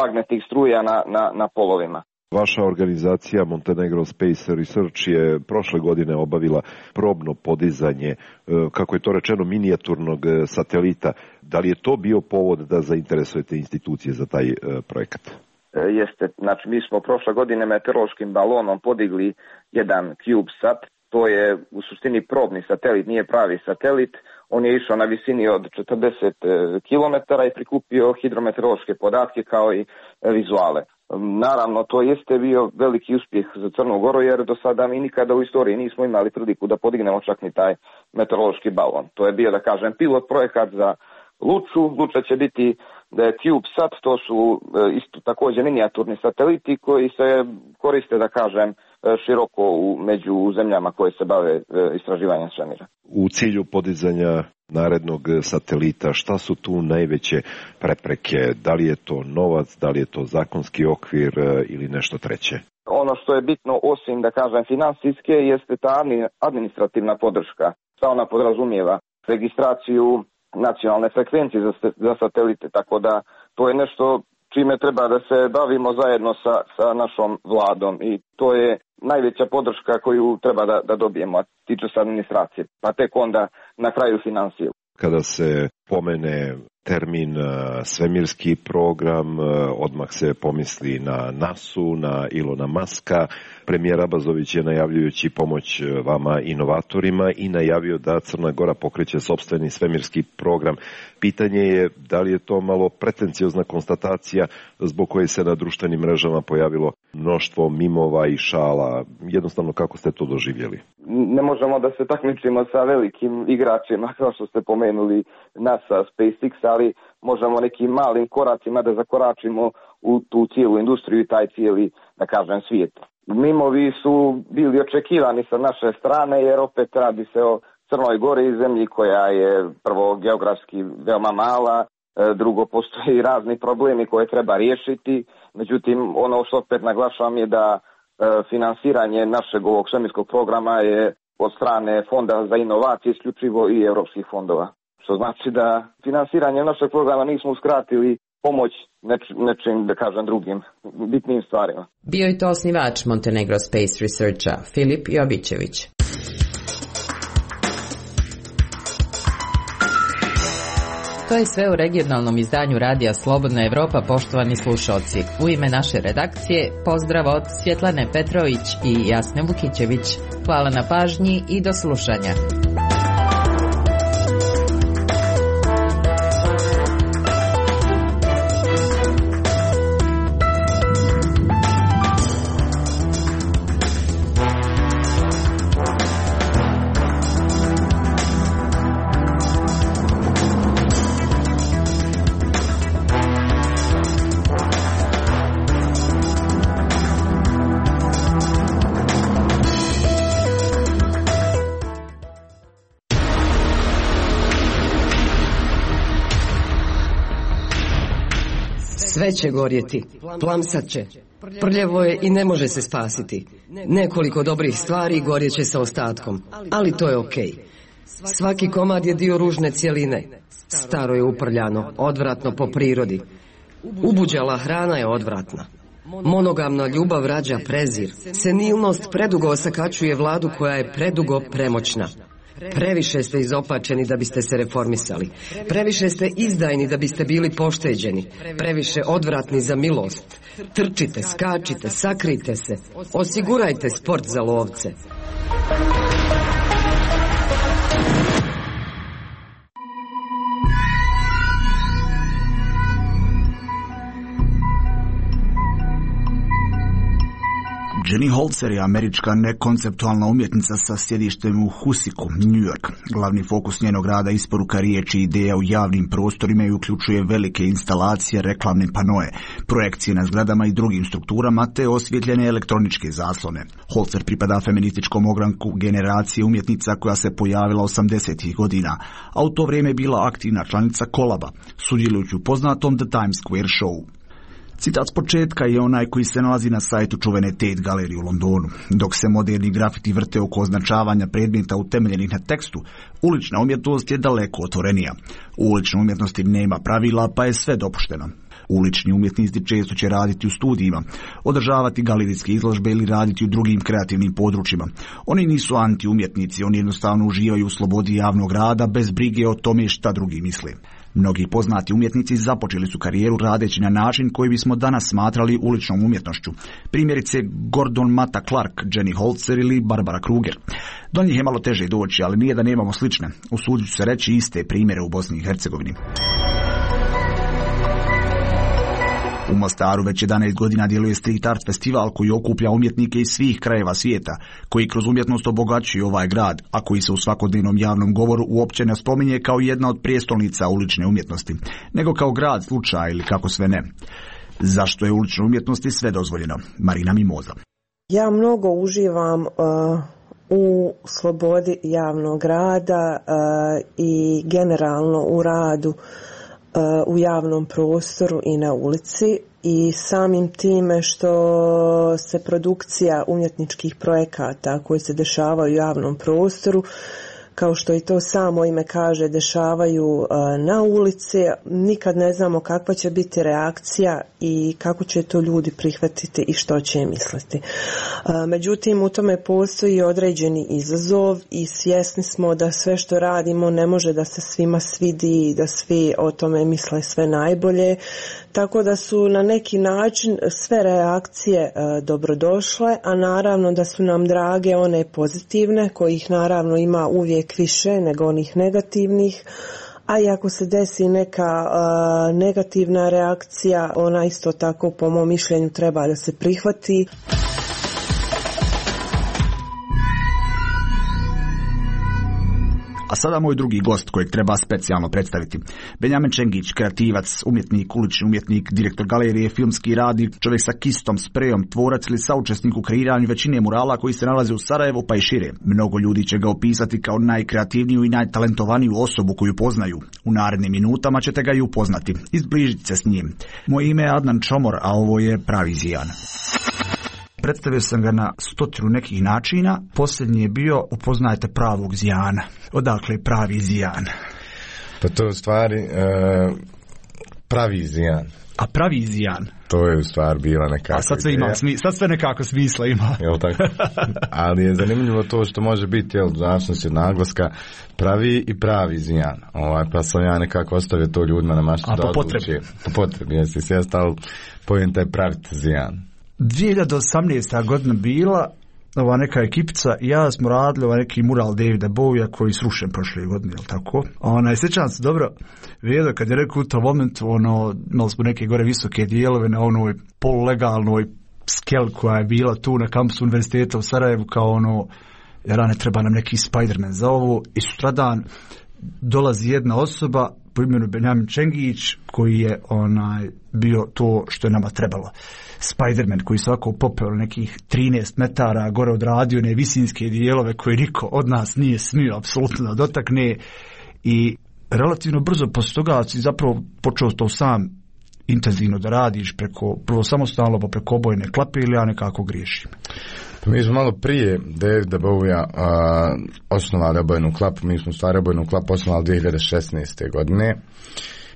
magnetnih struja na, na, na polovima. Vaša organizacija Montenegro Space Research je prošle godine obavila probno podizanje, kako je to rečeno, minijaturnog satelita. Da li je to bio povod da zainteresujete institucije za taj projekat? Jeste, znači mi smo prošle godine meteorološkim balonom podigli jedan CubeSat. To je u suštini probni satelit, nije pravi satelit. On je išao na visini od četrdeset kilometara i prikupio hidrometeorološke podatke kao i vizuale. Naravno, to jeste bio veliki uspjeh za Crnu Goru, jer do sada mi nikada u istoriji nismo imali priliku da podignemo čak ni taj meteorološki balon. To je bio, da kažem, pilot projekat za Luču. Luča će biti da je CubeSat, to su isto također minijaturni sateliti koji se koriste, da kažem, široko u, među zemljama koje se bave istraživanjem svemira. U cilju podizanja narednog satelita, šta su tu najveće prepreke? Da li je to novac, da li je to zakonski okvir ili nešto treće? Ono što je bitno, osim, da kažem, finansijske, jeste ta administrativna podrška. Šta ona podrazumijeva? Registraciju nacionalne frekvencije za, za satelite, tako da to je nešto čime treba da se bavimo zajedno sa, sa našom vladom i to je najveća podrška koju treba da, da dobijemo, a tiče se administracije, pa tek onda na kraju finansije. Kada se pomene termin svemirski program, odmah se pomisli na nasu, na Ilona Maska. Premijer Abazović je, najavljujući pomoć vama inovatorima, i najavio da Crna Gora pokreće sopstveni svemirski program. Pitanje je da li je to malo pretenciozna konstatacija zbog koje se na društvenim mrežama pojavilo mnoštvo mimova i šala. Jednostavno, kako ste to doživjeli? Ne možemo da se takmičimo sa velikim igračima, kao što ste pomenuli NASA, SpaceX, ali možemo nekim malim koracima da zakoračimo u tu cijelu industriju i taj cijeli, da kažem, svijet. Mimovi su bili očekivani sa naše strane, jer opet radi se o Crnoj Gori, zemlji koja je prvo geografski veoma mala, drugo postoji razni problemi koje treba riješiti. Međutim, ono što opet naglašavam je da finansiranje našeg ovog svemirskog programa je od strane Fonda za inovacije isključivo i europskih fondova. Što znači da finansiranje našeg programa nismo uskratili pomoć neč, nečim, da kažem, drugim bitnim stvarima. Bio je to osnivač Montenegro Space Researcha Filip Jovićević. To je sve u regionalnom izdanju Radija Slobodna Evropa, poštovani slušalci. U ime naše redakcije pozdrav od Svjetlane Petrović i Jasne Vukićević. Hvala na pažnji i do slušanja. Sve će gorjeti, plamsat će. Prljevo je i ne može se spasiti. Nekoliko dobrih stvari gorjeće sa ostatkom, ali to je okej. Svaki komad je dio ružne cjeline. Staro je uprljano, odvratno po prirodi. Ubuđala hrana je odvratna. Monogamna ljubav rađa prezir. Senilnost predugo osakačuje vladu koja je predugo premoćna. Previše ste izopačeni da biste se reformisali. Previše ste izdajni da biste bili pošteđeni. Previše odvratni za milost. Trčite, skačite, sakrite se. Osigurajte sport za lovce. Jenny Holzer je američka nekonceptualna umjetnica sa sjedištem u Husiku, New York. Glavni fokus njenog rada isporuka riječi i ideja u javnim prostorima i uključuje velike instalacije, reklamne panoe, projekcije na zgradama i drugim strukturama te osvjetljene elektroničke zaslone. Holzer pripada feminističkom ogranku generacije umjetnica koja se pojavila osamdesetih godina, a u to vrijeme je bila aktivna članica Kolaba, sudjelujući u poznatom The Times Square Show. Citat s početka je onaj koji se nalazi na sajtu čuvene Tate galerije u Londonu. Dok se moderni grafiti vrte oko označavanja predmeta utemeljenih na tekstu, ulična umjetnost je daleko otvorenija. U uličnoj umjetnosti nema pravila, pa je sve dopušteno. Ulični umjetnici često će raditi u studijima, održavati galerijske izložbe ili raditi u drugim kreativnim područjima. Oni nisu anti-umjetnici, oni jednostavno uživaju u slobodi javnog rada bez brige o tome šta drugi misle. Mnogi poznati umjetnici započeli su karijeru radeći na način koji bismo danas smatrali uličnom umjetnošću. Primjerice Gordon Matta Clark, Jenny Holzer ili Barbara Kruger. Do njih je malo teže doći, ali nije da nemamo slične. Usudit ću se reći iste primjere u Bosni i Hercegovini. U Mostaru već jedanaest godina djeluje Street Art festival koji okuplja umjetnike iz svih krajeva svijeta, koji kroz umjetnost obogaćuju ovaj grad, a koji se u svakodnevnom javnom govoru uopće ne spominje kao jedna od prijestolnica ulične umjetnosti, nego kao grad slučaja ili kako sve ne. Zašto je uličnoj umjetnosti sve dozvoljeno? Marina Mimoza. Ja mnogo uživam uh, u slobodi javnog rada uh, i generalno u radu u javnom prostoru i na ulici i samim time što se produkcija umjetničkih projekata koji se dešavaju u javnom prostoru, kao što i to samo ime kaže, dešavaju na ulici, nikad ne znamo kakva će biti reakcija i kako će to ljudi prihvatiti i što će misliti. Međutim, u tome postoji određeni izazov i svjesni smo da sve što radimo ne može da se svima svidi i da svi o tome misle sve najbolje, tako da su na neki način sve reakcije dobrodošle, a naravno da su nam drage one pozitivne, kojih naravno ima uvijek više nego onih negativnih, a i ako se desi neka uh, negativna reakcija, ona isto tako po mom mišljenju treba da se prihvati. A sada moj drugi gost kojeg treba specijalno predstaviti. Benjamin Čengić, kreativac, umjetnik, ulični umjetnik, direktor galerije, filmski radnik, čovjek sa kistom, sprejom, tvorac ili saučesnik u kreiranju većine murala koji se nalaze u Sarajevu pa i šire. Mnogo ljudi će ga opisati kao najkreativniju i najtalentovaniju osobu koju poznaju. U narednim minutama ćete ga i upoznati. Izbližite se s njim. Moje ime je Adnan Čomor, a ovo je Pravi Zijan. Predstavio sam ga na stotinu nekih načina. Posljednji je bio upoznajte pravog Zijana. Odakle je Pravi Zijan? Pa to je u stvari uh, Pravi Zijan. A Pravi Zijan? To je u stvari bila nekako. A sad sve, ima, sad sve nekako smisla ima. Jel tako? Ali je zanimljivo to što može biti, jel, zavisnosti od naglaska, Pravi i Pravi Zijan. Ovaj, pa sam ja nekako ostavio to ljudima na maštu da odluči. Po potrebi. Jesi sjest, ali pojem taj praviti Zijan. dvije hiljade osamnaesta godina bila, ova neka ekipica, ja smo radili ovaj neki mural Davida Bowija koji srušen prošle godine, jel tako? Ona, sjećam se dobro, vidio kad je rekao u tom momentu, ono, imali smo neke gore visoke dijelove na onoj polulegalnoj skel koja je bila tu na kampusu univerziteta u Sarajevu, kao ono, jer ne treba nam neki Spider-Man za ovo, i sutradan dolazi jedna osoba po imenu Benjamin Čengić koji je onaj bio to što je nama trebalo. Spider-Man koji svako popeo nekih trinaest metara gore odradio one visinske dijelove koje niko od nas nije smio apsolutno da dotakne i relativno brzo posle toga si zapravo počeo to sam intenzivno da radiš preko, prvo samostalno, pa preko obojne klape, ili ja nekako griješim? Pa mi smo malo prije Davida Bowija osnovali obojnu klapu. Mi smo stvari obojnu klapu osnovali dvije hiljade šesnaeste. godine.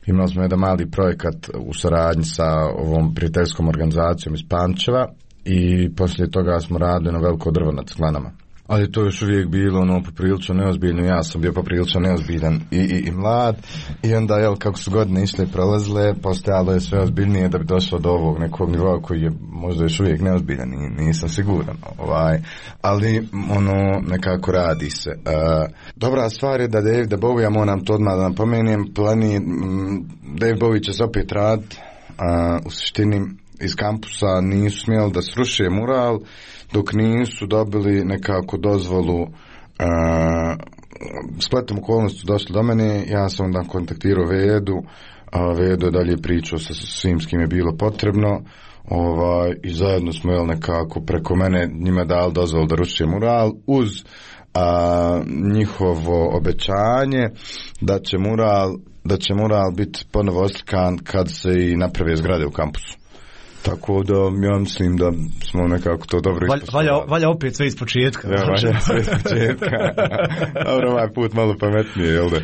Imali smo jedan mali projekat u saradnji sa ovom prijateljskom organizacijom iz Pančeva i poslije toga smo radili na veliko drvo nad Sklanama. Ali to je još uvijek bilo ono poprilično neozbiljno, ja sam bio poprilično neozbiljan i, i, i mlad, i onda jel, kako su godine išle i prolazile, postajalo je sve ozbiljnije da bi došlo do ovog nekog nivoa koji je možda još uvijek neozbiljan, i nisam siguran, ovaj, ali ono nekako radi se. Uh, dobra stvar je da Davida Bowija, moram to odmah da napomenem, plani, m, David Bowie će se opet raditi, uh, u suštini iz kampusa nisu smjeli da sruše mural dok nisu dobili nekako dozvolu. Uh, spletom okolnosti došli do mene, ja sam onda kontaktirao Vedu, a Vedo je dalje pričao sa svim s kim je bilo potrebno, ovaj, i zajedno smo jel, nekako preko mene njima dali dozvolu da ruše mural uz a, njihovo obećanje da će mural da će mural biti ponovo oslikan kad se i naprave zgrade u kampusu. Tako da ja mislim da smo nekako to dobro ispoštovali. Valja, valja opet sve iz početka. Ja, valja sve iz početka. Dobro, ovaj put malo pametnije, jel da?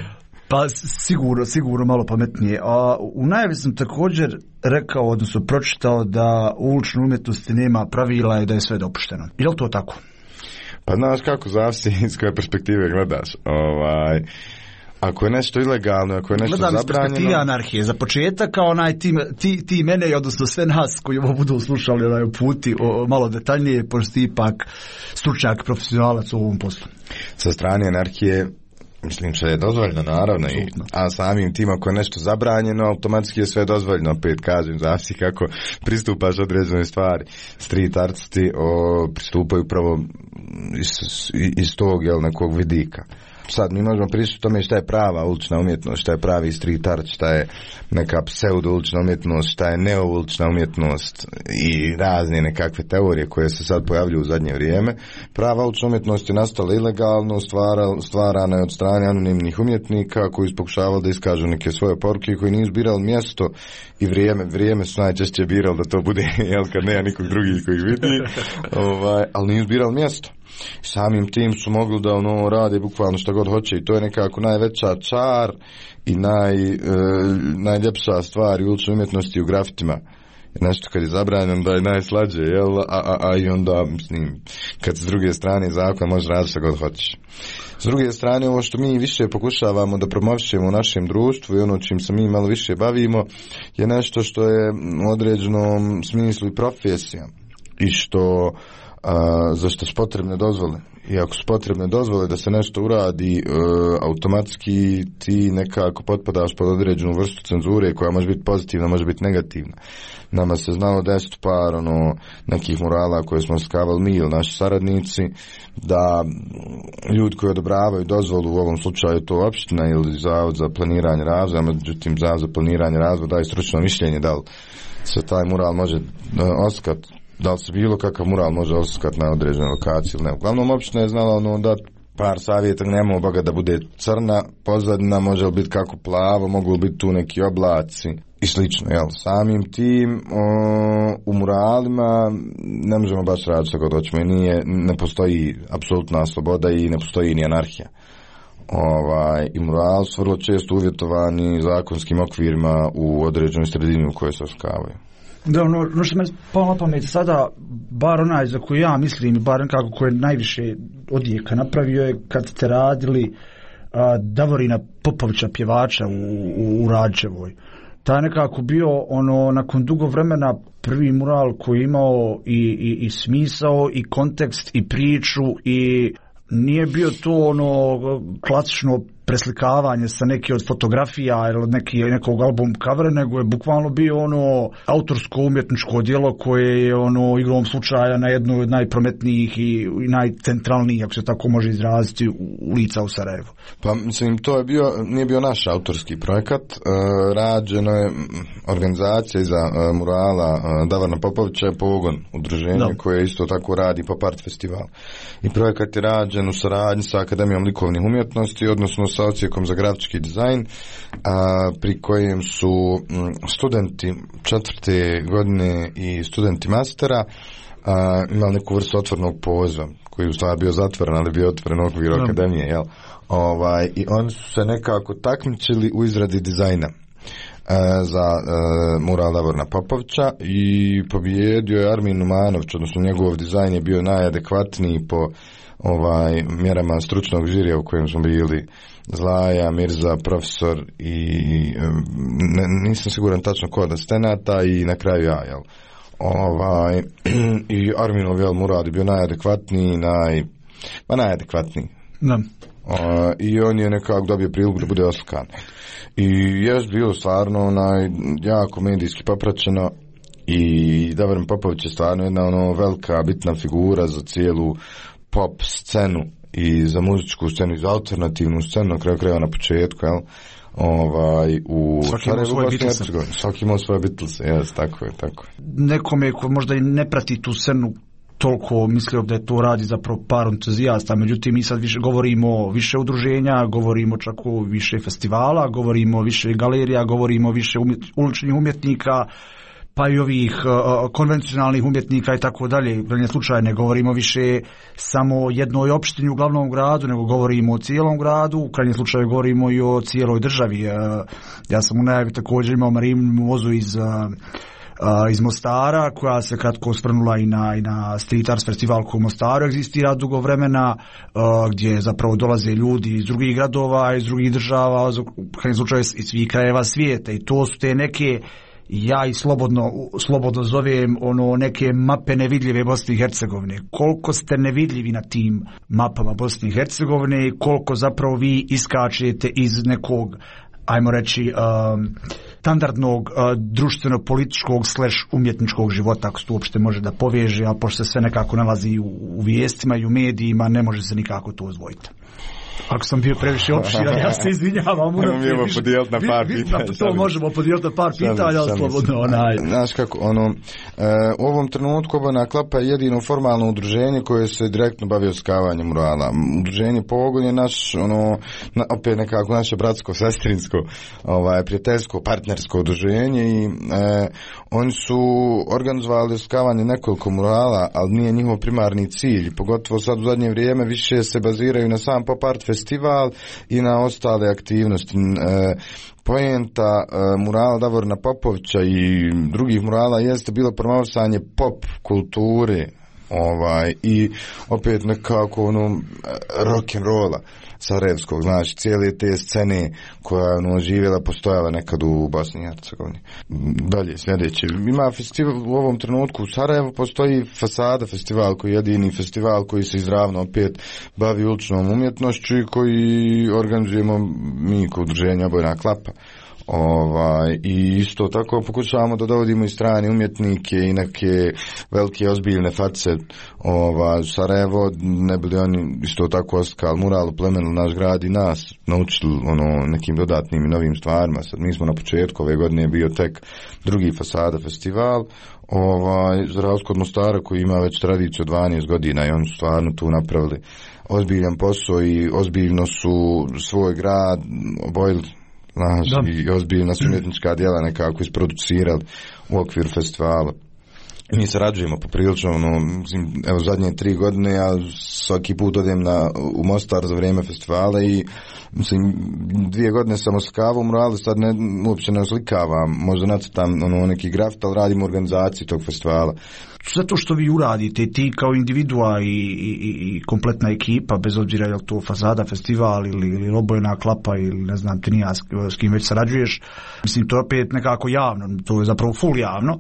Pa sigurno, sigurno malo pametnije. A u najavi sam također rekao, odnosno pročitao da u uličnoj umjetnosti nema pravila i da je sve dopušteno. Je li to tako? Pa znaš kako, zavisi iz koje perspektive gledaš. Ovaj... Ako je nešto ilegalno, ako je nešto gledam zabranjeno... Gledam iz perspektive anarhije. Za početak, kao onaj ti, ti, ti mene i odnosno sve nas koji ovo budu slušali onaj puti o, malo detaljnije, pošto ti ipak stručnjak, profesionalac u ovom poslu. Sa strane anarhije, mislim što je dozvoljeno, naravno, i, a samim tim ako je nešto zabranjeno, automatski je sve dozvoljeno, opet kažem, zavisi kako pristupaš određenoj stvari. Street artisti o, pristupaju pravo iz, iz tog jel, nekog vidika. Sad mi možemo pričati o tome šta je prava ulična umjetnost, šta je pravi street art, šta je neka pseudo ulična umjetnost, šta je neo ulična umjetnost i razne nekakve teorije koje se sad pojavljuju u zadnje vrijeme. Prava ulična umjetnost je nastala ilegalno, stvara, stvarana je od strane anonimnih umjetnika koji su pokušavali da iskažu neke svoje poruke, koji nisu birali mjesto i vrijeme. Vrijeme su najčešće birali da to bude, jel, kad nema nikog drugih koji vidi, ovaj, ali nisu birali mjesto. Samim tim su mogli da ono rade bukvalno što god hoće i to je nekako najveća čar i naj, e, najljepša stvar u uličnoj umjetnosti u grafitima. Nešto kad je zabranjeno da je najslađe, jel? A, a, a i onda, mislim, kad s druge strane zakon može raditi što god hoćeš. S druge strane, ovo što mi više pokušavamo da promovišemo u našem društvu i ono čim se mi malo više bavimo je nešto što je u određenom smislu i profesija i što a, za što su potrebne dozvole. I ako su potrebne dozvole da se nešto uradi, e, automatski ti nekako potpadaš pod određenu vrstu cenzure koja može biti pozitivna, može biti negativna. Nama se znalo desiti par ono, nekih murala koje smo skavali mi ili naši saradnici, da ljudi koji odobravaju dozvolu, u ovom slučaju to opština ili Zavod za planiranje razvoja, međutim Zavod za planiranje razvoja daje stručno mišljenje da li se taj mural može e, oskat, da li se bilo kakav mural može oskat na određenoj lokaciji ili ne. Uglavnom opština je znala ono da par savjeta, nemamo boga da bude crna pozadina, može li biti kako plavo, mogu li biti tu neki oblaci i slično, jel? Samim tim o, u muralima ne možemo baš raditi što god hoćemo i nije, ne postoji apsolutna sloboda i ne postoji ni anarhija. Ovaj, i murali su vrlo često uvjetovani zakonskim okvirima u određenoj sredini u kojoj se oskavaju. Da, ono, ono što me palo na pamet sada, bar onaj za koju ja mislim, bar nekako koje najviše odjeka napravio je kad ste radili a, Davorina Popovića, pjevača u, u, u Rađevoj. Ta je nekako bio ono, nakon dugo vremena prvi mural koji je imao i, i, i smisao i kontekst i priču i nije bio to ono klasično preslikavanje sa neke od fotografija ili neki, nekog album covera, nego je bukvalno bio ono autorsko umjetničko djelo koje je ono igrom slučaja na jednu od najprometnijih i, i najcentralnijih, ako se tako može izraziti, ulica u Sarajevu. Pa mislim, to je bio, nije bio naš autorski projekat, e, rađeno je organizacija iza e, murala e, Davorina Popovića je Pogon, udruženje no. koje isto tako radi Pop Art festival. I projekat je rađen u saradnji sa Akademijom likovnih umjetnosti, odnosno sa sa odsjekom za grafički dizajn, a, pri kojem su m, studenti četvrte godine i studenti mastera a, imali neku vrstu otvornog poziva, koji u stvari bio zatvoren, ali bio otvoren okvir no. akademije, jel? Ovaj, i oni su se nekako takmičili u izradi dizajna za uh, mural Davorina Popovića i pobijedio je Armin Numanović, odnosno njegov dizajn je bio najadekvatniji po ovaj mjerama stručnog žirija u kojem smo bili Zlaja, Mirza, profesor i ne, nisam siguran tačno ko od asistenata i na kraju ja, jel? Ovaj, i Arminov jel, mural je bio najadekvatniji, naj, pa najadekvatniji. Da. Uh, i on je nekako dobio priliku da bude oslikan. I je bilo stvarno onaj, jako medijski popraćeno i Davorin Popović je stvarno jedna ono velika bitna figura za cijelu pop scenu i za muzičku scenu i za alternativnu scenu na kraju krajeva na početku, jel? Ovaj, u Sarajevu, Bosni i Hercegovini. Svaki imao svoje Beatlese, jes, tako je, tako je. Nekome ko možda i ne prati tu scenu toliko mislio da je to radi zapravo par entuzijasta, međutim mi sad više govorimo više udruženja, govorimo čak o više festivala, govorimo više galerija, govorimo više umjet, uličnih umjetnika, pa i ovih uh, konvencionalnih umjetnika i tako dalje. U krajnjem slučaju ne govorimo više samo jednoj opštini u glavnom gradu, nego govorimo o cijelom gradu, u krajnjem slučaju govorimo i o cijeloj državi. Uh, ja sam u najavi također imao Marinu vozu iz uh, Uh, iz Mostara, koja se kratko osvrnula i na, i na Street Arts festival koji u Mostaru egzistira dugo vremena, uh, gdje zapravo dolaze ljudi iz drugih gradova, iz drugih država, u krajnjem slučaju iz svih krajeva svijeta, i to su te neke, ja i slobodno, slobodno zovem ono neke mape nevidljive Bosne i Hercegovine. Koliko ste nevidljivi na tim mapama Bosne i Hercegovine i koliko zapravo vi iskačete iz nekog, ajmo reći, um, standardnog uh, društveno-političkog slash umjetničkog života, ako se to uopšte može da poveže, a pošto se sve nekako nalazi u, u vijestima i u medijima, ne može se nikako to odvojiti. Ako sam bio previše opširan, ja se izvinjavam. Možemo podijeliti na par pitanja. To možemo podijeliti na par pitanja, ali slobodno onaj. Znaš kako, ono, e, u ovom trenutku Obojena klapa je jedino formalno udruženje koje se direktno bavi oskavanjem murala. Udruženje Pogon je naš, ono, na, opet nekako naše bratsko-sestrinsko, ovaj, prijateljsko, partnersko udruženje i e, oni su organizovali oskavanje nekoliko murala, ali nije njihov primarni cilj. Pogotovo sad u zadnje vrijeme više se baziraju na sam pop art festival i na ostale aktivnosti. E, poenta e, murala Davorina Popovića i drugih murala jeste bilo promovisanje pop kulture, ovaj, i opet nekako ono rock and rolla sarajevskog, znači cijele te scene koja je ono živjela, postojala nekad u Bosni i Hercegovini. Dalje, sljedeće. Ima festival u ovom trenutku u Sarajevu, postoji Fasada festival koji je jedini festival koji se izravno opet bavi uličnom umjetnošću i koji organizujemo mi kod udruženja Obojena klapa. Ovaj, i isto tako pokušavamo da dovodimo i strane umjetnike i neke velike ozbiljne face ovaj, Sarajevo, ne bili oni isto tako oskal mural plemenili naš grad i nas naučili ono, nekim dodatnim i novim stvarima. Sad mi smo na početku ove godine bio tek drugi Fasada festival, ovaj, za razliku od Mostara koji ima već tradiciju dvanaest godina i oni su stvarno tu napravili ozbiljan posao i ozbiljno su svoj grad obojili, znaš, i ozbiljna su umjetnička djela nekako isproducirali u okviru festivala. Mi sarađujemo poprilično, no, evo zadnje tri godine ja svaki put odem na, u Mostar za vrijeme festivala i mislim, dvije godine sam oskavao murale, sad ne, uopće ne oslikavam, možda nacrtam ono, neki grafit, ali radim u organizaciji tog festivala. Sve to što vi uradite, ti kao individua i, i, i kompletna ekipa, bez obzira je li to Fasada festival ili, ili Obojena klapa ili ne znam ti nija s, s kim već sarađuješ, mislim to je opet nekako javno, to je zapravo full javno.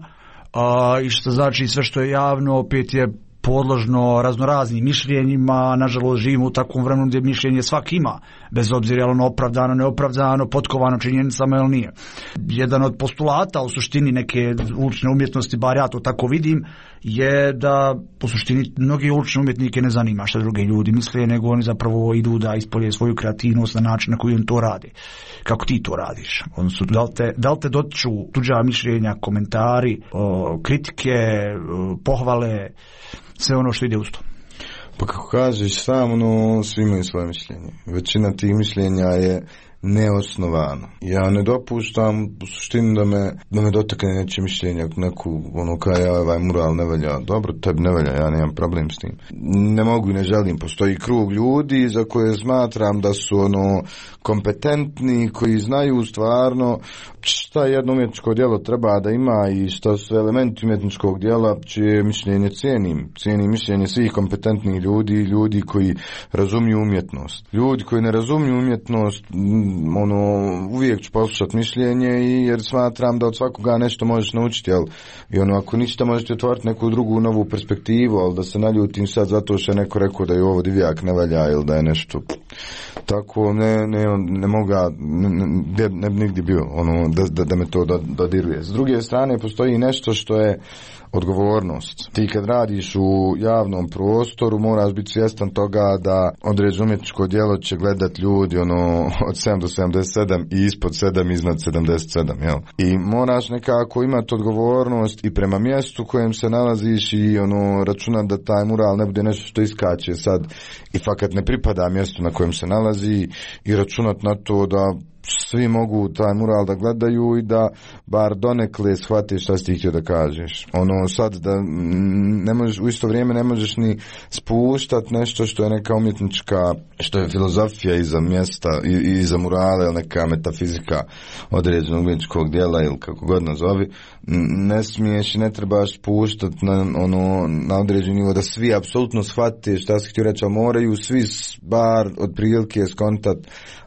Uh, i što znači sve što je javno opet je podložno raznoraznim mišljenjima. Nažalost živimo u takvom vremenu gdje mišljenje svak ima, bez obzira je ono opravdano, neopravdano, potkovano činjenicama ili nije. Jedan od postulata u suštini neke ulične umjetnosti, bar ja to tako vidim, je da u suštini mnogi ulične umjetnike ne zanima što druge ljudi misle, nego oni zapravo idu da ispolje svoju kreativnost na način na koji on to radi. Kako ti to radiš? Odnosno, da li te, da li te dotiču tuđa mišljenja, komentari, o, kritike, o, pohvale, sve ono što ide uz to? Pa kako kažeš sam, ono, svi imaju svoje mišljenje. Većina tih mišljenja je neosnovano. Ja ne dopuštam u suštini da me, da me dotakne neće mišljenja, neku, ono, kaj ja, ovaj mural ne velja. Dobro, tebi ne velja, ja nemam problem s tim. Ne mogu i ne želim. Postoji krug ljudi za koje smatram da su, ono, kompetentni, koji znaju stvarno šta jedno umjetničko djelo treba da ima i šta su elementi umjetničkog djela, čije mišljenje cijenim. Cijenim mišljenje svih kompetentnih ljudi, ljudi koji razumiju umjetnost. Ljudi koji ne razumiju umjetnost, ono, uvijek ću poslušati mišljenje i jer smatram da od svakoga nešto možeš naučiti, jel? I ono, ako ništa možete otvoriti neku drugu novu perspektivu, ali da se naljutim sad zato što je neko rekao da je ovo divjak ne valja ili da je nešto tako, ne, ne, ne mogu, ne, ne, ne bi nigdje bio, ono, da, da, da me to dodiruje. S druge strane, postoji nešto što je odgovornost. Ti kad radiš u javnom prostoru moraš biti svjestan toga da određeno umjetničko djelo će gledat ljudi ono od sedam do sedamdeset sedam i ispod sedam iznad sedamdeset sedam, jel? I moraš nekako imati odgovornost i prema mjestu kojem se nalaziš i ono računat da taj mural ne bude nešto što iskače sad i fakat ne pripada mjestu na kojem se nalazi i računat na to da svi mogu taj mural da gledaju i da bar donekle shvate šta si ti htio da kažeš. Ono sad da ne možeš, u isto vrijeme ne možeš ni spuštat nešto što je neka umjetnička, što je filozofija iza mjesta i, i iza murale ili neka metafizika određenog umjetničkog djela ili kako god nazovi. Ne smiješ i ne trebaš spuštat na, ono, na određeni nivo da svi apsolutno shvate šta si htio reći, ali moraju svi bar otprilike skontat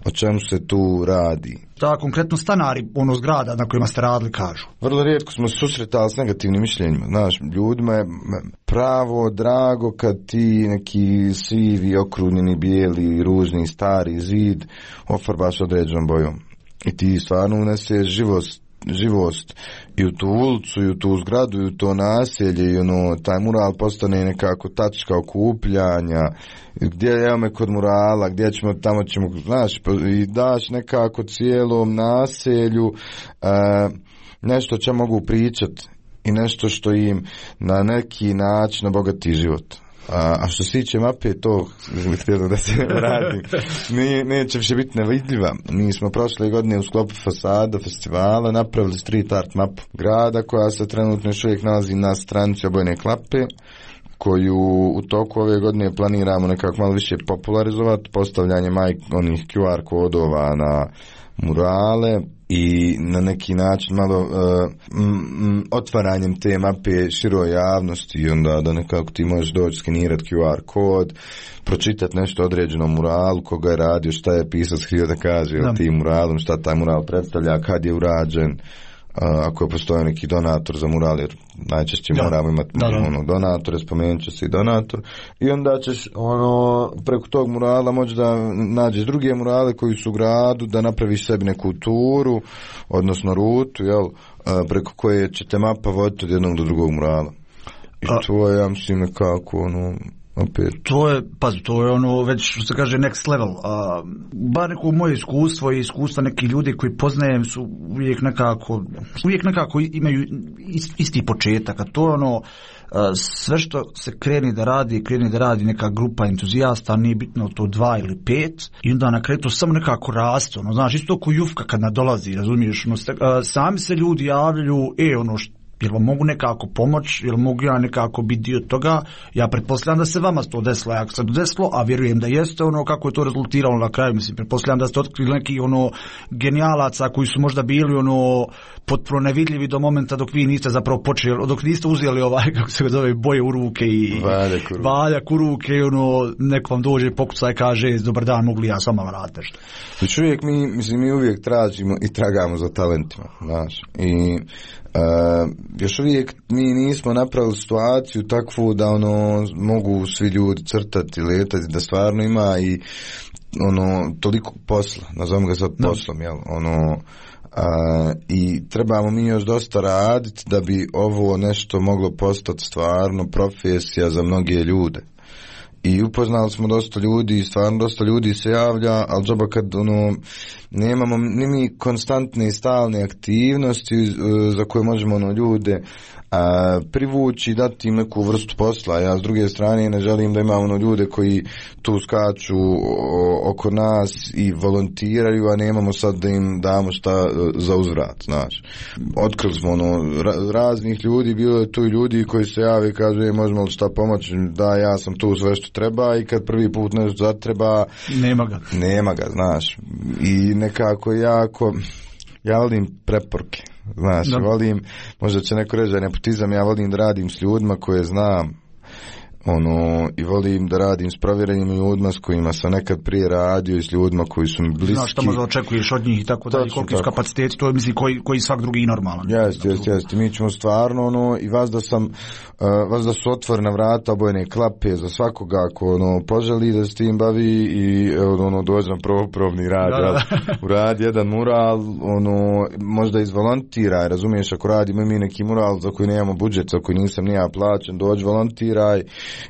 o čemu se tu radi. Da, konkretno stanari ono zgrada na kojima ste radili kažu. Vrlo rijetko smo se susretali s negativnim mišljenjima. Znaš, ljudima je pravo drago kad ti neki sivi, okrunjeni, bijeli, ružni, stari zid ofarbaš određenom bojom. I ti stvarno uneseš živost živost i u tu ulicu i u tu zgradu i u to naselje i ono, taj mural postane nekako tačka okupljanja, gdje evo me kod murala, gdje ćemo, tamo ćemo, znaš, i daš nekako cijelom naselju e, nešto će mogu pričat i nešto što im na neki način obogati život. A, a što se tiče mape, to htjelo da se radi, ne, neće više biti nevidljiva. Mi smo prošle godine u sklopu fasada festivala napravili street art mapu grada koja se trenutno još uvijek nalazi na stranici Obojene klape, koju u toku ove godine planiramo nekako malo više popularizovati, postavljanje maj, onih Q R kodova na murale i na neki način malo uh, m, m, otvaranjem te mape široj javnosti i onda da nekako ti možeš doći skenirati Q R kod, pročitati nešto određeno muralu, koga je radio, šta je pisac htio da kaže o tim muralom, šta taj mural predstavlja, kad je urađen, Uh, ako postoji neki donator za mural, jer najčešće da. moramo imati da, da. ono, donatore, spomenut će se i donator, i onda ćeš ono, preko tog murala moći da nađeš druge murale koji su u gradu, da napraviš sebi neku turu, odnosno rutu, jel, uh, preko koje će te mapa voditi od jednog do drugog murala. I A. to je, ja mislim, nekako ono, opet. To je, pazi, to je ono već što se kaže next level. A, bar neko moje iskustvo i iskustva nekih ljudi koji poznajem su uvijek nekako, uvijek nekako imaju isti početak, a to je ono sve što se kreni da radi, kreni da radi neka grupa entuzijasta, nije bitno to dva ili pet, i onda na kraju to samo nekako raste, ono, znaš, isto ko Jufka kad nadolazi, razumiješ, ono, sami se ljudi javljaju, e, ono, što jel vam mogu nekako pomoć, jel mogu ja nekako biti dio toga, ja pretpostavljam da se vama to desilo, ako se to desilo, a vjerujem da jeste, ono, kako je to rezultiralo na kraju, mislim, pretpostavljam da ste otkrili neki, ono, genijalaca koji su možda bili, ono, potpuno nevidljivi do momenta dok vi niste zapravo počeli, dok niste uzeli ovaj, kako se zove, boje u ruke i valjak u ruke, i ono, neko vam dođe pokuca i kaže, dobar dan, mogli ja s vama raditi nešto. Znači uvijek mi, mislim, mi uvijek tražimo i tragamo za talentima, znaš, i Uh, još uvijek mi nismo napravili situaciju takvu da ono mogu svi ljudi crtati, letati, da stvarno ima i ono toliko posla, nazovimo ga sad poslom, jel, ono, uh, i trebamo mi još dosta raditi da bi ovo nešto moglo postati stvarno profesija za mnoge ljude. I upoznali smo dosta ljudi i stvarno dosta ljudi se javlja, ali džaba kad ono, nemamo ni mi konstantne i stalne aktivnosti uh, za koje možemo ono, ljude a, privući i dati im neku vrstu posla. Ja s druge strane ne želim da imamo ono ljude koji tu skaču o, oko nas i volontiraju, a nemamo sad da im damo šta za uzvrat, znaš. Otkrili smo ono ra, raznih ljudi, bilo je tu i ljudi koji se jave i kažu, je, možemo li šta pomoći, da, ja sam tu sve što treba, i kad prvi put nešto zatreba, nema ga. Nema ga, znaš. I nekako jako, ja volim preporuke. Znaš, da. volim, možda će neko reći da je nepotizam, ja volim da radim s ljudima koje znam, ono, i volim da radim s provjerenim ljudima s kojima sam nekad prije radio i s ljudima koji su mi bliski. Znaš šta možda očekuješ od njih i tako da, koliki su kapaciteti, to je mislim koji, koji svak drugi i normalan. Jeste, jeste, jeste, mi ćemo stvarno, ono, i vas da sam, uh, vas da su otvorena vrata, obojene klape za svakoga ako, ono, poželi da s tim bavi i, ono, dođem prvo probni rad, da, da. uradi jedan mural, ono, možda izvolontiraj, razumiješ, ako radimo mi neki mural za koji nemamo budžet, za koji nisam nija plaćen, dođi volontiraj,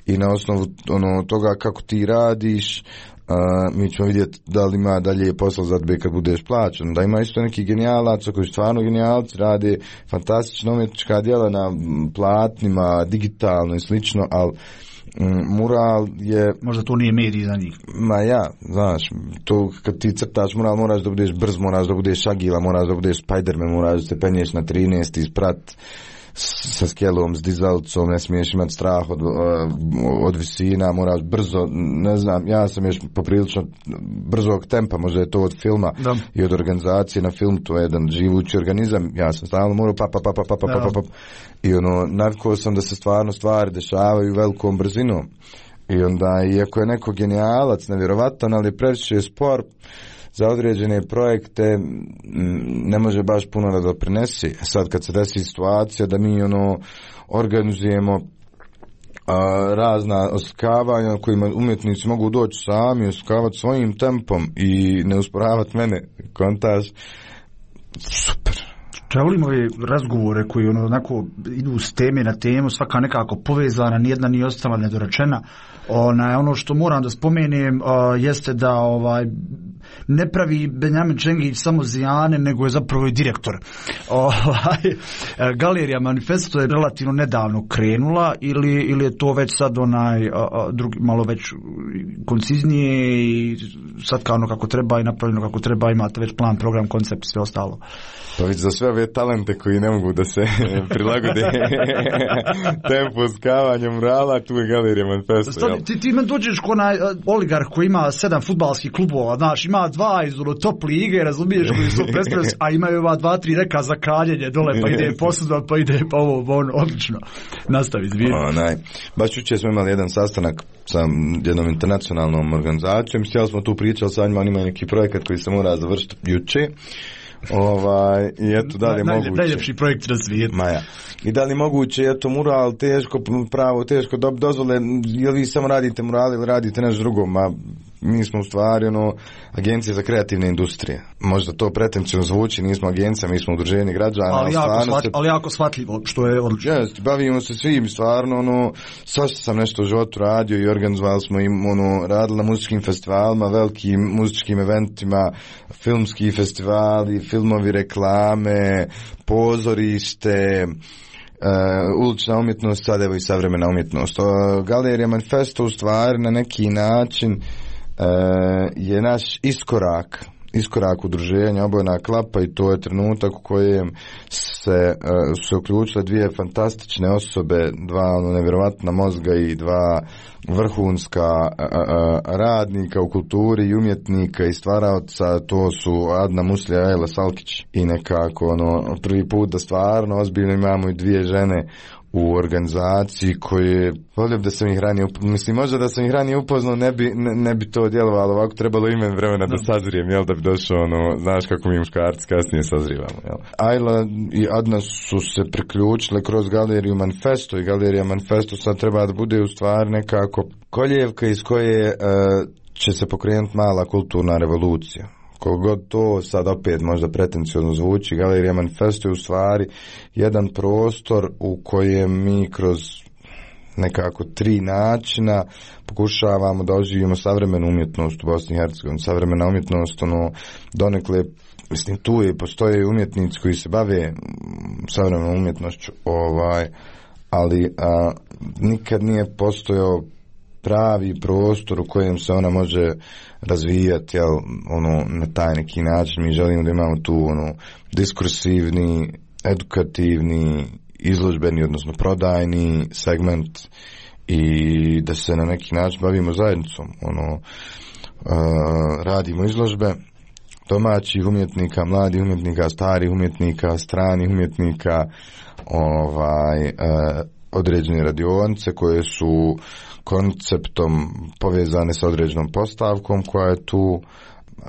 i na osnovu ono toga kako ti radiš, uh, mi ćemo vidjeti da li ima dalje posao za tebe kad budeš plaćen. Da ima isto neki genijalaca koji stvarno genijalci rade fantastična umjetnička djela na platnima, digitalno i slično, ali mm, mural je... Možda to nije medij za njih. Ma ja, znaš, to kad ti crtaš mural moraš da budeš brz, moraš da budeš agila, moraš da budeš Spiderman, moraš da se penješ na trinaest i sprat sa skelom, s dizalcom, ne smiješ imati strah od, od visina, moraš brzo, ne znam, ja sam još poprilično brzog tempa, možda je to od filma da. I od organizacije na film, to je jedan živući organizam, ja sam stalno morao pa pa pa pa pa pa pa pa pa i ono, navikao sam da se stvarno stvari dešavaju velikom brzinom i onda, iako je neko genijalac, nevjerovatan, ali previše je spor, za određene projekte ne može baš puno da doprinesi. Sad kad se desi situacija da mi ono organizujemo a, razna oslikavanja kojima umjetnici mogu doći sami, oslikavati svojim tempom i ne usporavati mene, kontaž, super. Ja volim ove razgovore koji ono, onako idu s teme na temu, svaka nekako povezana, nijedna nije ostala nedorečena. Ona, ono što moram da spomenem uh, jeste da ovaj ne pravi Benjamin Čengić samo zijane, nego je zapravo i direktor. Ovaj, Galerija Manifesto je relativno nedavno krenula ili, ili je to već sad onaj uh, drugi, malo već konciznije i sad kao ono kako treba i napravljeno kako treba, imate već plan, program, koncept i sve ostalo. Pa već za sve ove talente koji ne mogu da se prilagode tempo skavanja murala, tu je Galerija Manifesto. Ti, ti me dođeš ko onaj oligarh koji ima sedam fudbalskih klubova, znaš, ima dva iz top lige, razumiješ, koji su predstavljeni, a imaju ova dva, tri reka za kaljenje dole, pa ide posuda, pa ide pa ovo, ono, odlično. Nastavi, zvijek. Onaj, baš jučer smo imali jedan sastanak sa jednom internacionalnom organizacijom, htjeli smo tu pričali sa njima, oni imaju neki projekat koji se mora završiti jučer. Ovaj, i eto da li je moguće najljepši projekt na svijetu. Maja. I da li moguće, eto mural teško pravo, teško dob dozvole, jel vi samo radite mural ili radite nešto drugo? Ma mi smo u stvari ono agencija za kreativne industrije. Možda to pretencijno zvuči, nismo agencija, mi smo udruženje građana, ali jako, shvat, se... ali jako shvatljivo, što je odlično. Jest, bavimo se svim, stvarno ono, svašta sam nešto u životu radio i organizovali smo im, ono, radili na muzičkim festivalima, velikim muzičkim eventima, filmski festivali, filmovi, reklame, pozorište, Uh, ulična umjetnost, sad evo i savremena umjetnost. Uh, Galerija Manifesto u stvari na neki način uh, je naš iskorak iskorak udruženja Obojena klapa i to je trenutak u kojem se, uh, se uključile dvije fantastične osobe, dva ono, nevjerovatna mozga i dva vrhunska uh, uh, radnika u kulturi i umjetnika i stvaraoca, to su Adna Muslija i Ajla Salkić i nekako ono, prvi put da stvarno ozbiljno imamo i dvije žene u organizaciji koje, volio da sam ih ranije upoznao, mislim možda da sam ih ranije upoznao ne bi, ne, ne bi to djelovalo, ovako trebalo ime vremena da sazrijem, jel, da bi došao ono, znaš kako mi muškarci kasnije sazrivamo, jel. Ajla i Adna su se priključile kroz Galeriju Manifesto i Galerija Manifesto sad treba da bude u stvari nekako koljevka iz koje uh, će se pokrenuti mala kulturna revolucija. Kogod to sad opet možda pretencijozno zvuči, Galerija Manifesto je u stvari jedan prostor u kojem mi kroz nekako tri načina pokušavamo da oživimo savremenu umjetnost u Bosni i Hercegovini. Savremena umjetnost, ono, donekle, mislim, tu je, postoje umjetnici koji se bave savremenom umjetnošću, ovaj, ali a, nikad nije postojao pravi prostor u kojem se ona može razvijati, jel, ono, na taj neki način. Mi želimo da imamo tu, ono, diskursivni, edukativni, izložbeni, odnosno prodajni segment i da se na neki način bavimo zajednicom. Ono, uh, radimo izložbe domaćih umjetnika, mladih umjetnika, starih umjetnika, stranih umjetnika, ovaj, uh, određene radionice koje su konceptom povezane sa određenom postavkom koja je tu,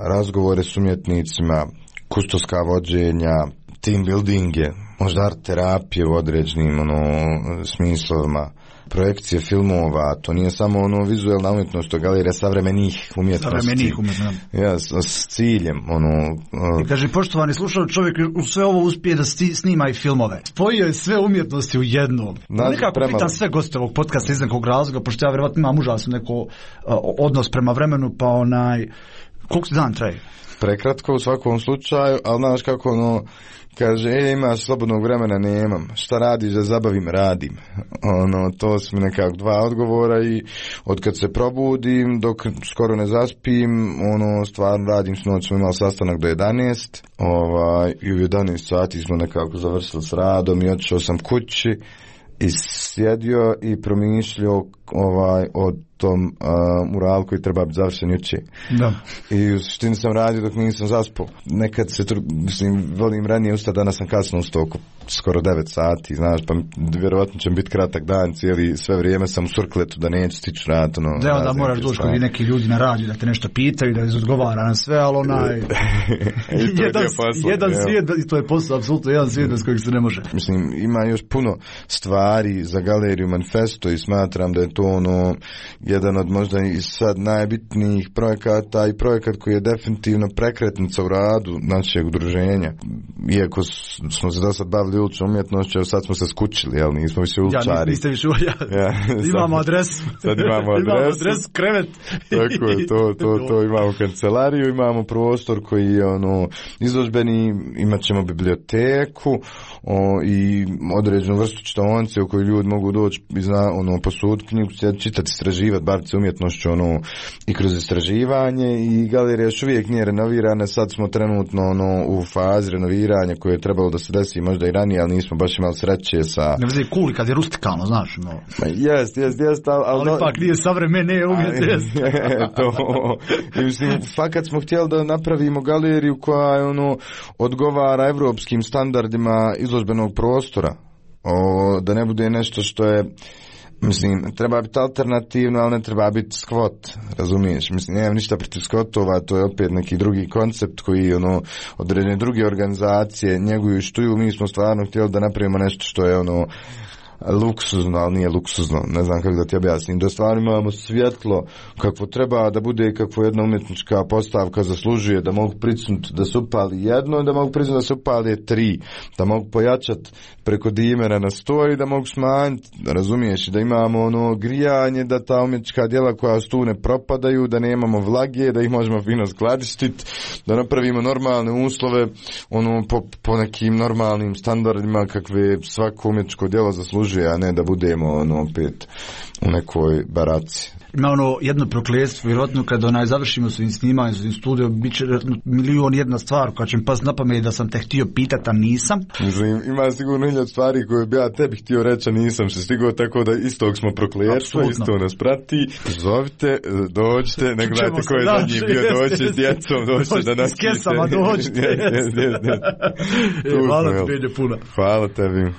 razgovore s umjetnicima, kustoska vođenja, team buildinge, možda art terapije u određenim, ono, smislovima, projekcije filmova, to nije samo ono vizualna umjetnost, to je galerija savremenih umjetnosti. Savremenih umjetnosti. Ja, s, s ciljem, ono... I kaže, poštovani slušao, čovjek u sve ovo uspije da sti, snima i filmove. Spojio je sve umjetnosti u jednom. Nekako prema... pitam sve goste ovog podcasta iz nekog razloga, pošto ja vjerovatno imam užasno neko uh, odnos prema vremenu, pa onaj... Koliko se dan traje? Prekratko u svakom slučaju, ali znaš kako ono... Kaže, e, imaš slobodnog vremena, nemam. Šta radiš da zabavim? Radim. Ono, to su mi nekako dva odgovora i od kad se probudim, dok skoro ne zaspim, ono, stvarno radim. Snoć smo imali sastanak do jedanaest, ovaj, i u jedanaest sati smo nekako završili s radom i otišao sam kući i sjedio i promišljao ovaj, o tom uh, muralu koji treba biti završen juče. Da. I u suštini sam radio dok nisam zaspao. Nekad se, mislim, volim ranije ustati, danas sam kasno ustao oko skoro devet sati, znaš, pa vjerovatno će biti kratak dan, cijeli, sve vrijeme sam u surkletu da neću stići rad. Ono, da, onda moraš doći kod neki ljudi na radiju da te nešto pitaju, da izodgovara na sve, ali onaj... jedan, posla, jedan svijet, i to je posao, apsolutno jedan svijet bez kojeg se ne može. Mislim, ima još puno stvari za galeriju Manifesto i smatram da je to ono jedan od možda i sad najbitnijih projekata i projekat koji je definitivno prekretnica u radu našeg udruženja. Iako smo se do sad bavili uličnom umjetnošću, sad smo se skučili, jel, nismo više uličari. Ja, niste više ja, ja, imamo adresu. Sad imamo adresu. imamo adresu, krevet. Tako je, to, to, to imamo kancelariju, imamo prostor koji je ono izložbeni, imat ćemo biblioteku o, i određenu vrstu čitaonice u kojoj ljudi mogu doći i zna, ono, posuditi knjigu, čitati, istraživati, baviti se umjetnošću, ono, i kroz istraživanje, i galerija još uvijek nije renovirana, sad smo trenutno ono, u fazi renoviranja koje je trebalo da se desi možda i ranije, ali nismo baš imali sreće sa... Ne vezi cool kad je rustikalno, znaš, no. Jest, jest, jest, ali... Ali no... pak nije savremene umjetnost. To, i mislim, fakat smo htjeli da napravimo galeriju koja je, ono, odgovara evropskim standardima izložbenog prostora. O, da ne bude nešto što je, mislim, treba biti alternativno, ali ne treba biti skvot, razumiješ? Mislim, nemam ništa protiv skvotova, to je opet neki drugi koncept koji, ono, određene druge organizacije njeguju i štuju. Mi smo stvarno htjeli da napravimo nešto što je, ono, luksuzno, ali nije luksuzno, ne znam kako da ti objasnim, da stvarno imamo svjetlo kakvo treba da bude, kakvo jedna umjetnička postavka zaslužuje, da mogu pricnuti da se upali jedno, da mogu pricnuti da se upali tri, da mogu pojačati preko dimera na sto i da mogu smanjiti, razumiješ, da imamo ono grijanje, da ta umjetnička djela koja tu ne propadaju, da nemamo vlage, da ih možemo fino skladištiti, da napravimo normalne uslove, ono, po, po nekim normalnim standardima kakve svako umjetničko djelo zaslužuje, a ne da budemo ono opet u nekoj baraci. Ima ono jedno prokletstvo, vjerojatno kad onaj završimo svojim snimanjem, svojim studijom, bit će milion jedna stvar koja će mi pas na pamet da sam te htio pitati, a nisam. Mislim, ima sigurno hiljad stvari koje bi ja tebi htio reći, a nisam se stigao, tako da istog smo prokletstvo, isto nas prati. Zovite, dođite, ne gledajte ko je zadnji bio, dođite s djecom, dođite da nas pite. S kesama dođite. Hvala ti, Benje, puno. Hvala tebi.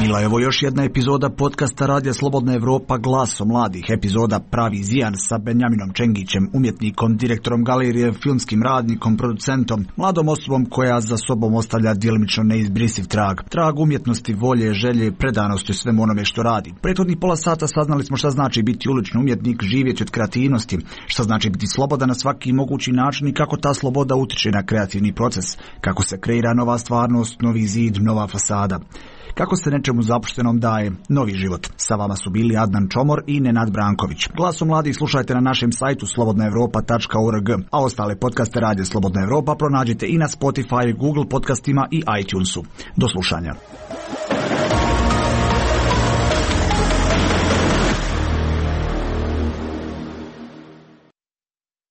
Bila je ovo još jedna epizoda podcasta Radija Slobodna Evropa Glaso mladih, epizoda Pravi Zijan sa Benjaminom Čengićem, umjetnikom, direktorom galerije, filmskim radnikom, producentom, mladom osobom koja za sobom ostavlja djelimično neizbrisiv trag. Trag umjetnosti, volje, želje, predanosti svemu onome što radi. Prethodnih pola sata saznali smo šta znači biti ulični umjetnik, živjeti od kreativnosti, šta znači biti slobodan na svaki mogući način i kako ta sloboda utiče na kreativni proces, kako se kreira nova stvarnost, novi zid, nova fasada. Kako se nečemu zapuštenom daje novi život. Sa vama su bili Adnan Čomor i Nenad Branković. Glaso mladih slušajte na našem sajtu slobodna evropa tačka org, a ostale podcaste Radija Slobodna Evropa pronađite i na Spotify, Google podcastima i iTunesu. Do slušanja.